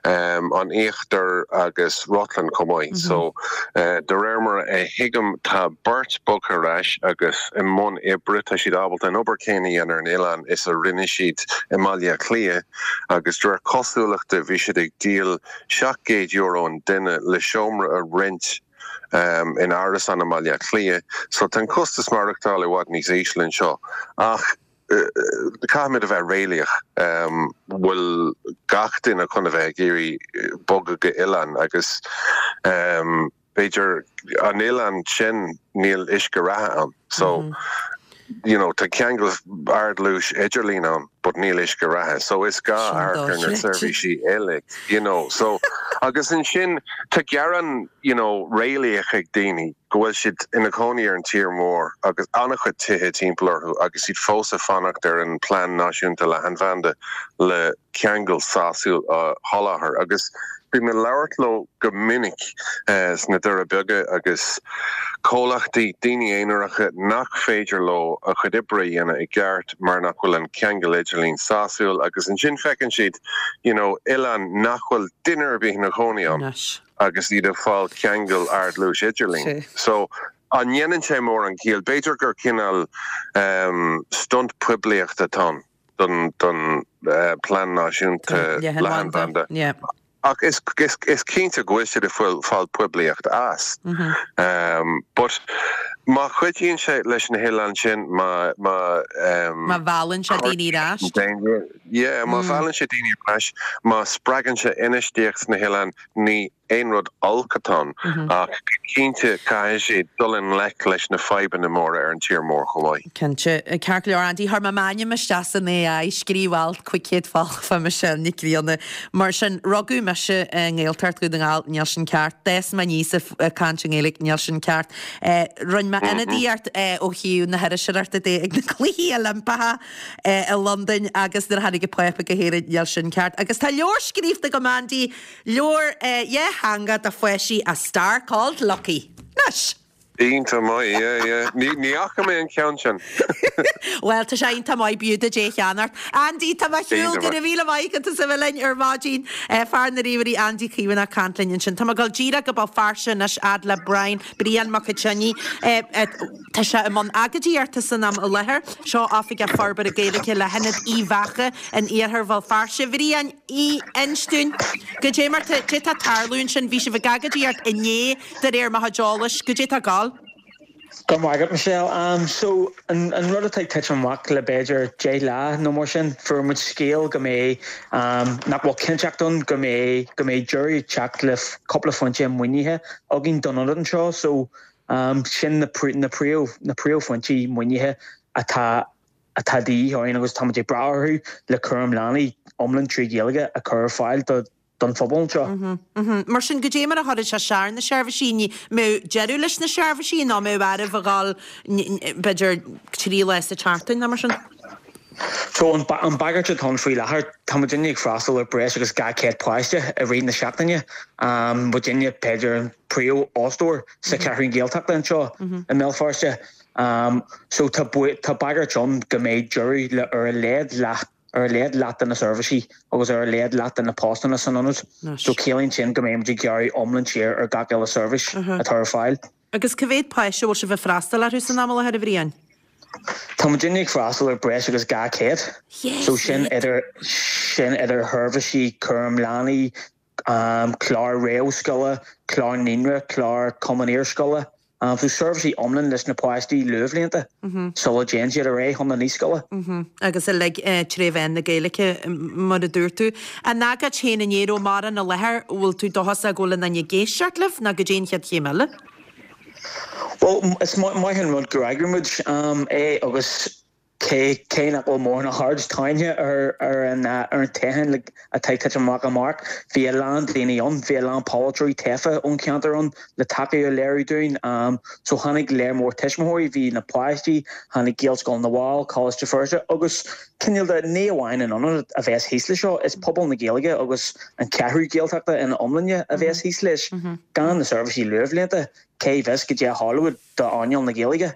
um, an Íochtar agus Rutland chomh maith. Mm -hmm. So uh, de réir mar a thuigim tá beirt bogtha ar ais agus i mbun oibre tá siad ábalta an obair chéanna a dhéanamh ar an oileán is a rinne siad i mBaile Átha Cliath agus de réir cosúlachta bhí siad ag díol seacht gcéad euro an duine le seomra a roinnt um, in árasán i mBaile Átha Cliath, so tá an costas maireachtála i bhfad níos ísle anseo. Ach uh, caithfimid a bheith réalaíoch um, bhfuil gach duine chun a bheith ag iarraidh bogadh go oileán agus um, b'fhéidir an oileán sin níl uisce reatha ann. So mm -hmm. you know, tá ceangal ardluais idirlín ann, but níl uisce reatha. So is gá ar na seirbhísí eile, you know. So agus ansin tá gearán you know, réalaíoch ag daoine go bhfuil siad ina gcónaí ar an tír mór agus an-chuid tithe timpeall orthu agus iad fós ag fanacht ar an plean náisiúnta leathanbhanda le ceangal sásúil a sholáthar agus bím ag labhairt leo go minic uh, sna Doirí Beaga agus comhlachtaí daoine aonaracha nach féidir leo a chuid oibre a dhéanamh i gceart mar nach bhfuil an ceangal idirlín sásúil agus ansin feiceann siad you know, oileán nach bhfuil duine ar bith ina chónaí ann agus iad ag fáil ceangal ardluais idirlín. So an ndéanann sé mórán ciall, b'fhéidir gur cineál um, stunt poiblíochta atá ann don don uh, plean náisiúnta leathanbhanda. Yeah. Ach is, is, is cinnte go bhfuil siad ag fáil poiblíocht as. Mm -hmm. um, but má chuidíonn sé leis na hoileáin sin má má um, Má mheallann sé daoine ar ais. Yeah, má mheallann sé daoine ar ais, má spreagann sé infheistíocht sna hoileáin ní aon rud olc atá ann ach cinnte caithfidh sé dul i ngleic leis na fadhbanna móra ar an tír mór chomh maith. Cinnte ceart go leor Andy chuir mé m'ainm isteach san AI scríobh alt cúig chéad focal fá Michelle Nic Grianna mar sin rugadh mise i nGaeltacht Dhún na nGall níl sin ceart d'fhás mé aníos ag caint i nGaeilge níl sin ceart Rinne mé ionadaíocht ó thaobh na hiriseoireachta de ag na Cluichí Oilimpeacha i Londain agus nuair a tháinig an Pápa go hÉirinn níl sin ceart. Agus tá leabhar scríofa agam Andy leabhar dhátheangach do pháistí A Star Called Lucky. Anois! Iontach maith, yeah, yeah. Ní ní fhaca mé an ceann sin. Well, tá sé iontach maith b'fhiú duit é a cheannacht. Andy, tá mé ar shiúl, Iontach go maith. raibh míle maith agat as a bheith linn ar maidin. Eh, fear na ríomhairí Andy Caomhánach ag caint linn ansin. Tá mé ag dul díreach go Béal Feirste anois fhad le Brian, Brian Mac Coitinne. Eh, eh, tá sé i mbun agóidíochta san am i láthair. Seo Oifigeach Forbartha Gaeilge le hIonad Uíbh Eachach in iarthar Bhéal Feirste. Bhriain, inis dúinn, goidé mar tá tá ag tarlú ansin, bhí sibh ag agóidíocht inné de réir mo chuid eolais, goidé tá ag gabháil. Go maith agat Michelle. Um, so an, an rud atá ag titim amach le b'fhéidir deich lá nó mar sin fuair muid scéal go mbeidh um, nach bhfuil cinnteacht ann go mbeidh go mbeidh deireadh teacht le cúpla foinse maoinithe againn don ionad anseo so um, sin na prí, na príomh na príomhfhoinsí maoinithe atá atá de dhíth orainn agus táimid ag brath orthu le cúram leanaí iomlán trí Ghaeilge a chur ar fáil do don phobal seo. Mm -hmm. Mar sin goidé mar a chuirfidh sé isteach ar na seirbhísí ní mbeidh deireadh leis na seirbhísí nó mbeidh oraibh a ghabháil b'fhéidir trí lá sa tseachtain nó mar sin. So an, an bagairt atá ann faoi láthair tá muidinne ag freastal ar breis agus dhá chéad páiste i rith na seachtaine. Um, muidinne b'fhéidir an príomhfhostóir sa Cheathrú Gaeltachta anseo i mBéal Feirste. Um, so tá tá bagairt ann go mbeidh deireadh le ar a laghad leath ar a laghad leath de na seirbhísí agus ar a laghad leath de na postanna san ionad. So ciallaíonn sin go mbeidh gearradh iomlán siar ar gach uile seirbhís atá ar fáil. Agus cá mhéad páiste bhfuil sibh ag freastal orthu san am i láthair a Bhriain? Tá muidinne ag freastal ar breis agus dhá chéad. So sin idir sin idir sheirbhísí cúram leanaí, um, clár réamhscoile, clár naíonra, clár cumann iarscoile. Um, so seirbhísí iomlán leis na páistí luathbhlianta sula dtéann siad ar aghaidh chun na naíscoile. Agus uilig trí mheán na Gaeilge mar a dúirt tú. An agóid féin inné ó mar an na láthair bhfuil tú dóchasach go bhfuil an ag éisteacht libh ná goidé an chéad chéim eile? Well is maith an rud gur eagraigh muid um, é agus cé cé nach bhfuil mórán aird tarraingthe ar ar an ar an toghchán atá ag titim amach amárach. Bhí a lán daoine ann, bhí a lán polaiteoirí tofa ón cheantar ann le tacaíocht a léiriú dúinn. Um, so tháinig léir mór tuismitheoirí, bhí na páistí, tháinig Gaelscoil na bhFál, Coláiste Feirste agus cineál de ní amháin an ionad a bheas thíos leis seo is pobal na Gaeilge agus an Cheathrú Gaeltachta ina iomláine a bheas thíos leis gan na seirbhísí luathbhlianta cé bheas go dtí Hollywood d'earnáil na Gaeilge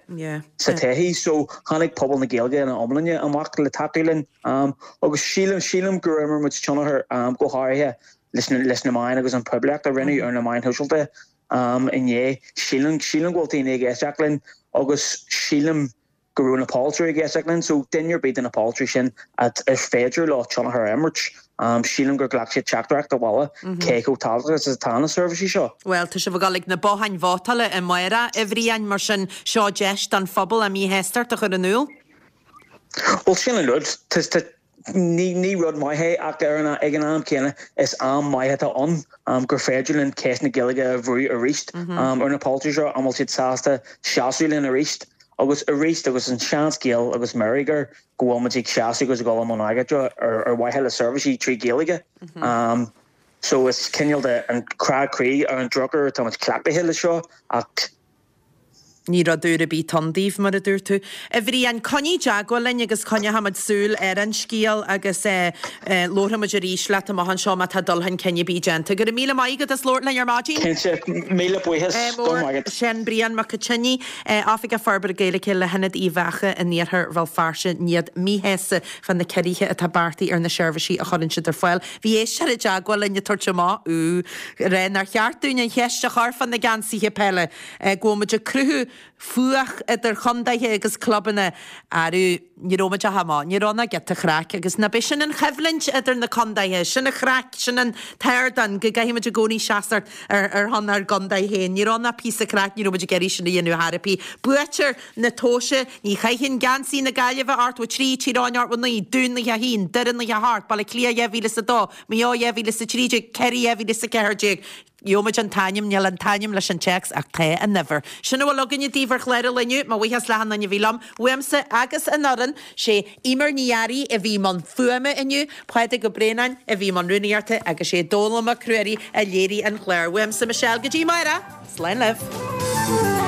sa todhchaí so tháinig pobal na Gaeilge ina iomláine amach le tacú linn um, agus sílim sílim gur imir muid tionchar um, go háirithe leis na, leis na meáin agus an poiblíocht a rinneadh ar na meáin shóisialta um, inné sílim sílim go bhfuil daoine ag éisteacht linn agus sílim go raibh na polaiteoirí ag éisteacht linn, so duine ar bith de na polaiteoirí sin at is féidir leo tionchar a imirt. Um, sílim gur ghlac siad teachtaireacht abhaile cé chomh tábhachtach is atá na seirbhísí seo. Well, tá sibh ag dul ag na botháin vótála amárach a Bhriain mar sin seo deis don phobal a míshástacht a chur in iúl? Well sin an rud ní ní rud maith é ach ar an ag an am céanna is am maith atá ann um, gur féidir linn ceist na Gaeilge a bhrú arís um, ar na polaiteoirí seo an bhfuil siad sásta seasamh linn arís agus arís agus an seanscéal agus meirigur go bhfuil muid ag seasamh agus ag dul i mbun agóide ar ar mhaithe le seirbhísí trí Ghaeilge. Um, so is cineál de an crá croí ar an drochuair tá muid cleachtaithe le seo ach Ní rud úr ar bith ann daoibh mar a dúirt tú. A Bhriain coinnigh i dteagmháil linn agus coinneoimid súil ar an scéal agus labhróimid arís leat amach anseo má tá dul chun cinn ar bith déanta. Go raibh míle maith agat as labhairt linn ar maidin? Cinnte míle buíochas go maith. Sin Brian Mac Coitinne Oifigeach Forbartha Gaeilge le hIonad Uíbh Eachach in iarthar Bhéal Feirste iad míshásta fá na ciorruithe atá beartaithe ar na seirbhísí a chuireann siad ar fáil. Bhí éisteoir i dteagmháil linn ag tabhairt amach ú rá nár cheart dúinn an cheist a chur fá na geansaithe peile go bhfuil muid ag cruthú fuath idir chontaetha agus clubanna arú ní raibh muid a hamá, ní raibh ná giota craic agus ná b'é sin an choimhlint idir na contaetha, sin an chraic, sin an t-ardán go gcaithfimid i gcónaí seasamh ar ar shon ár gcontae féin. Ní raibh ná píosa craic, ní raibh muid ag iarraidh sin a dhéanamh thar ar bith. Buaiteoir na tomhaise, ní chaitheann geansaí na Gaillimhe ochtó trí, Tír Eoghain ochtó naoi, Dún naocha a haon, Doire naocha a hocht, Baile Átha Cliath dhá mhíle is a dó, Maigh Eo dhá mhíle is a trí déag, Ciarraí dhá mhíle is a ceathair déag. Gheobhaimid an t-ainm níl an t-ainm leis an téacs ach tá an uimhir. Sin a bhfuil againne daoibh ar chlár an lae inniu, mo bhuíochas le achan duine a bhí liom, uaimse agus an fhoireann, sé Emer Ní Fhearraigh a bhí i mbun fuaime inniu, Pádraig Ó Braonáin a bhí i mbun rúnaíochta agus sé Dónall Mac Ruairí a léirigh an clár. Uaimse Michelle go dtí amárach, slán libh.